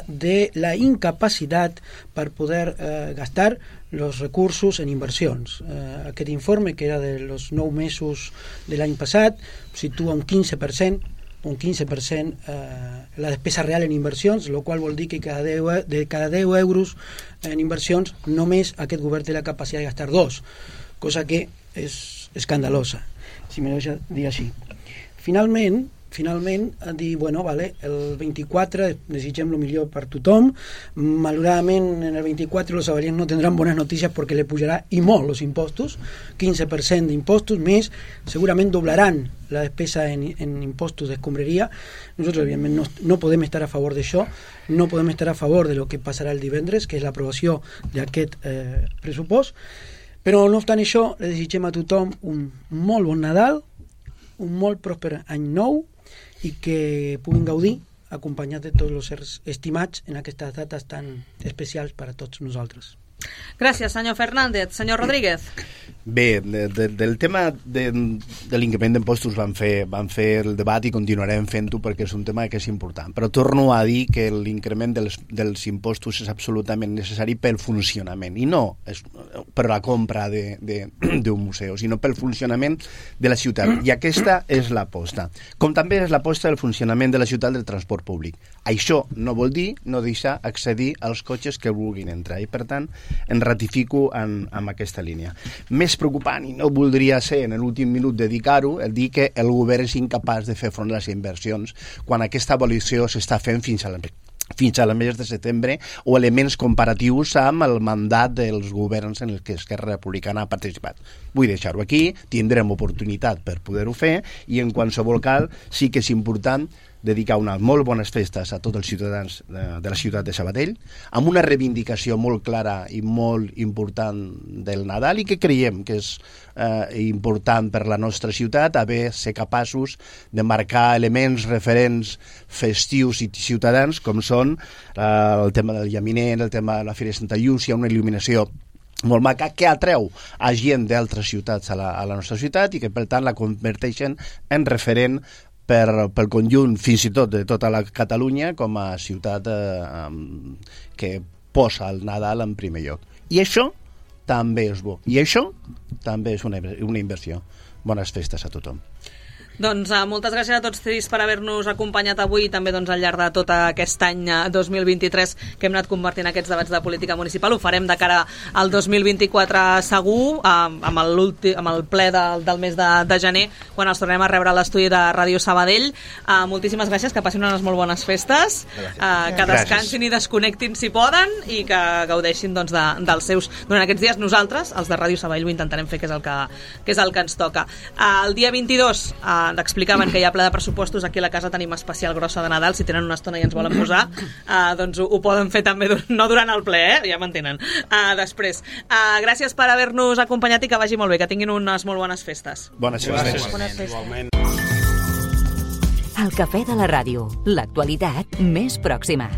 de la incapacitat per poder gastar els recursos en inversions. Aquest informe, que era de los 9 mesos de l'any passat, situa un 15% la despesa real en inversions, el qual vol dir que de cada 10 euros en inversions només aquest govern té la capacitat de gastar 2, cosa que és escandalosa, si me deixa dir així. Finalment dir, bueno, vale, el 24 desitgem el millor per tothom. Malauradament en el 24 los sabadellencs no tendrán buenas noticias porque le pujarà i molt los impostos, 15% d'impostos més, segurament doblaran la despesa en impostos d'escombraria. Nosotros evidentment no podem estar a favor d'això, no podem estar a favor de lo que passarà el divendres, que és l'aprovació d'aquest pressupost, però no obstant això le desitgem a tothom un molt bon Nadal, un molt pròsper any nou, i que puguin gaudir acompanyats de tots els éssers estimats en aquestes dates tan especials per a tots nosaltres. Gràcies, senyor Fernández. Senyor Rodríguez. Bé, del tema de l'increment d'impostos vam fer el debat i continuarem fent-ho perquè és un tema que és important, però torno a dir que l'increment dels impostos és absolutament necessari pel funcionament, i no per la compra d'un museu, sinó pel funcionament de la ciutat. I aquesta és l'aposta. Com també és l'aposta del funcionament de la ciutat del transport públic. Això no vol dir no deixar accedir als cotxes que vulguin entrar, i per tant em ratifico en aquesta línia. Més preocupant, i no voldria ser en l'últim minut dedicar-ho, el dir que el govern és incapaç de fer front a les inversions quan aquesta evolució s'està fent fins al mes de setembre, o elements comparatius amb el mandat dels governs en els que Esquerra Republicana ha participat. Vull deixar-ho aquí, tindrem oportunitat per poder-ho fer, i en qualsevol cas sí que és important dedicar unes molt bones festes a tots els ciutadans de la ciutat de Sabadell, amb una reivindicació molt clara i molt important del Nadal, i que creiem que és important per la nostra ciutat ser capaços de marcar elements referents festius i ciutadans, com són el tema del Llaminer, el tema de la Fira de Santa Llúcia, una il·luminació molt maca que atreu a gent d'altres ciutats a la nostra ciutat, i que per tant la converteixen en referent pel conjunt, fins i tot de tota la Catalunya, com a ciutat que posa el Nadal en primer lloc. I això també és bo. I això també és una inversió. Bones festes a tothom. Doncs moltes gràcies a tots tres per haver-nos acompanyat avui, i també al llarg de tot aquest any 2023 que hem anat convertint aquests debats de política municipal. Ho farem de cara al 2024 segur, amb el ple del mes de gener, quan els tornem a rebre a l'estudi de Ràdio Sabadell. Moltíssimes gràcies, que passin unes molt bones festes, que descansin i desconnectin si poden, i que gaudeixin dels seus durant aquests dies. Nosaltres, els de Ràdio Sabadell, ho intentarem fer, que és el que ens toca. El dia 22 explicaven que hi ha ple de pressupostos. Aquí a la casa tenim especial grossa de Nadal. Si tenen una estona i ens volen posar, doncs ho poden fer també, no durant el ple, ja m'entenen, després. Gràcies per haver-nos acompanyat, i que vagi molt bé, que tinguin unes molt bones festes. Bones festes. Igualment. El Cafè de la Ràdio, l'actualitat més pròxima.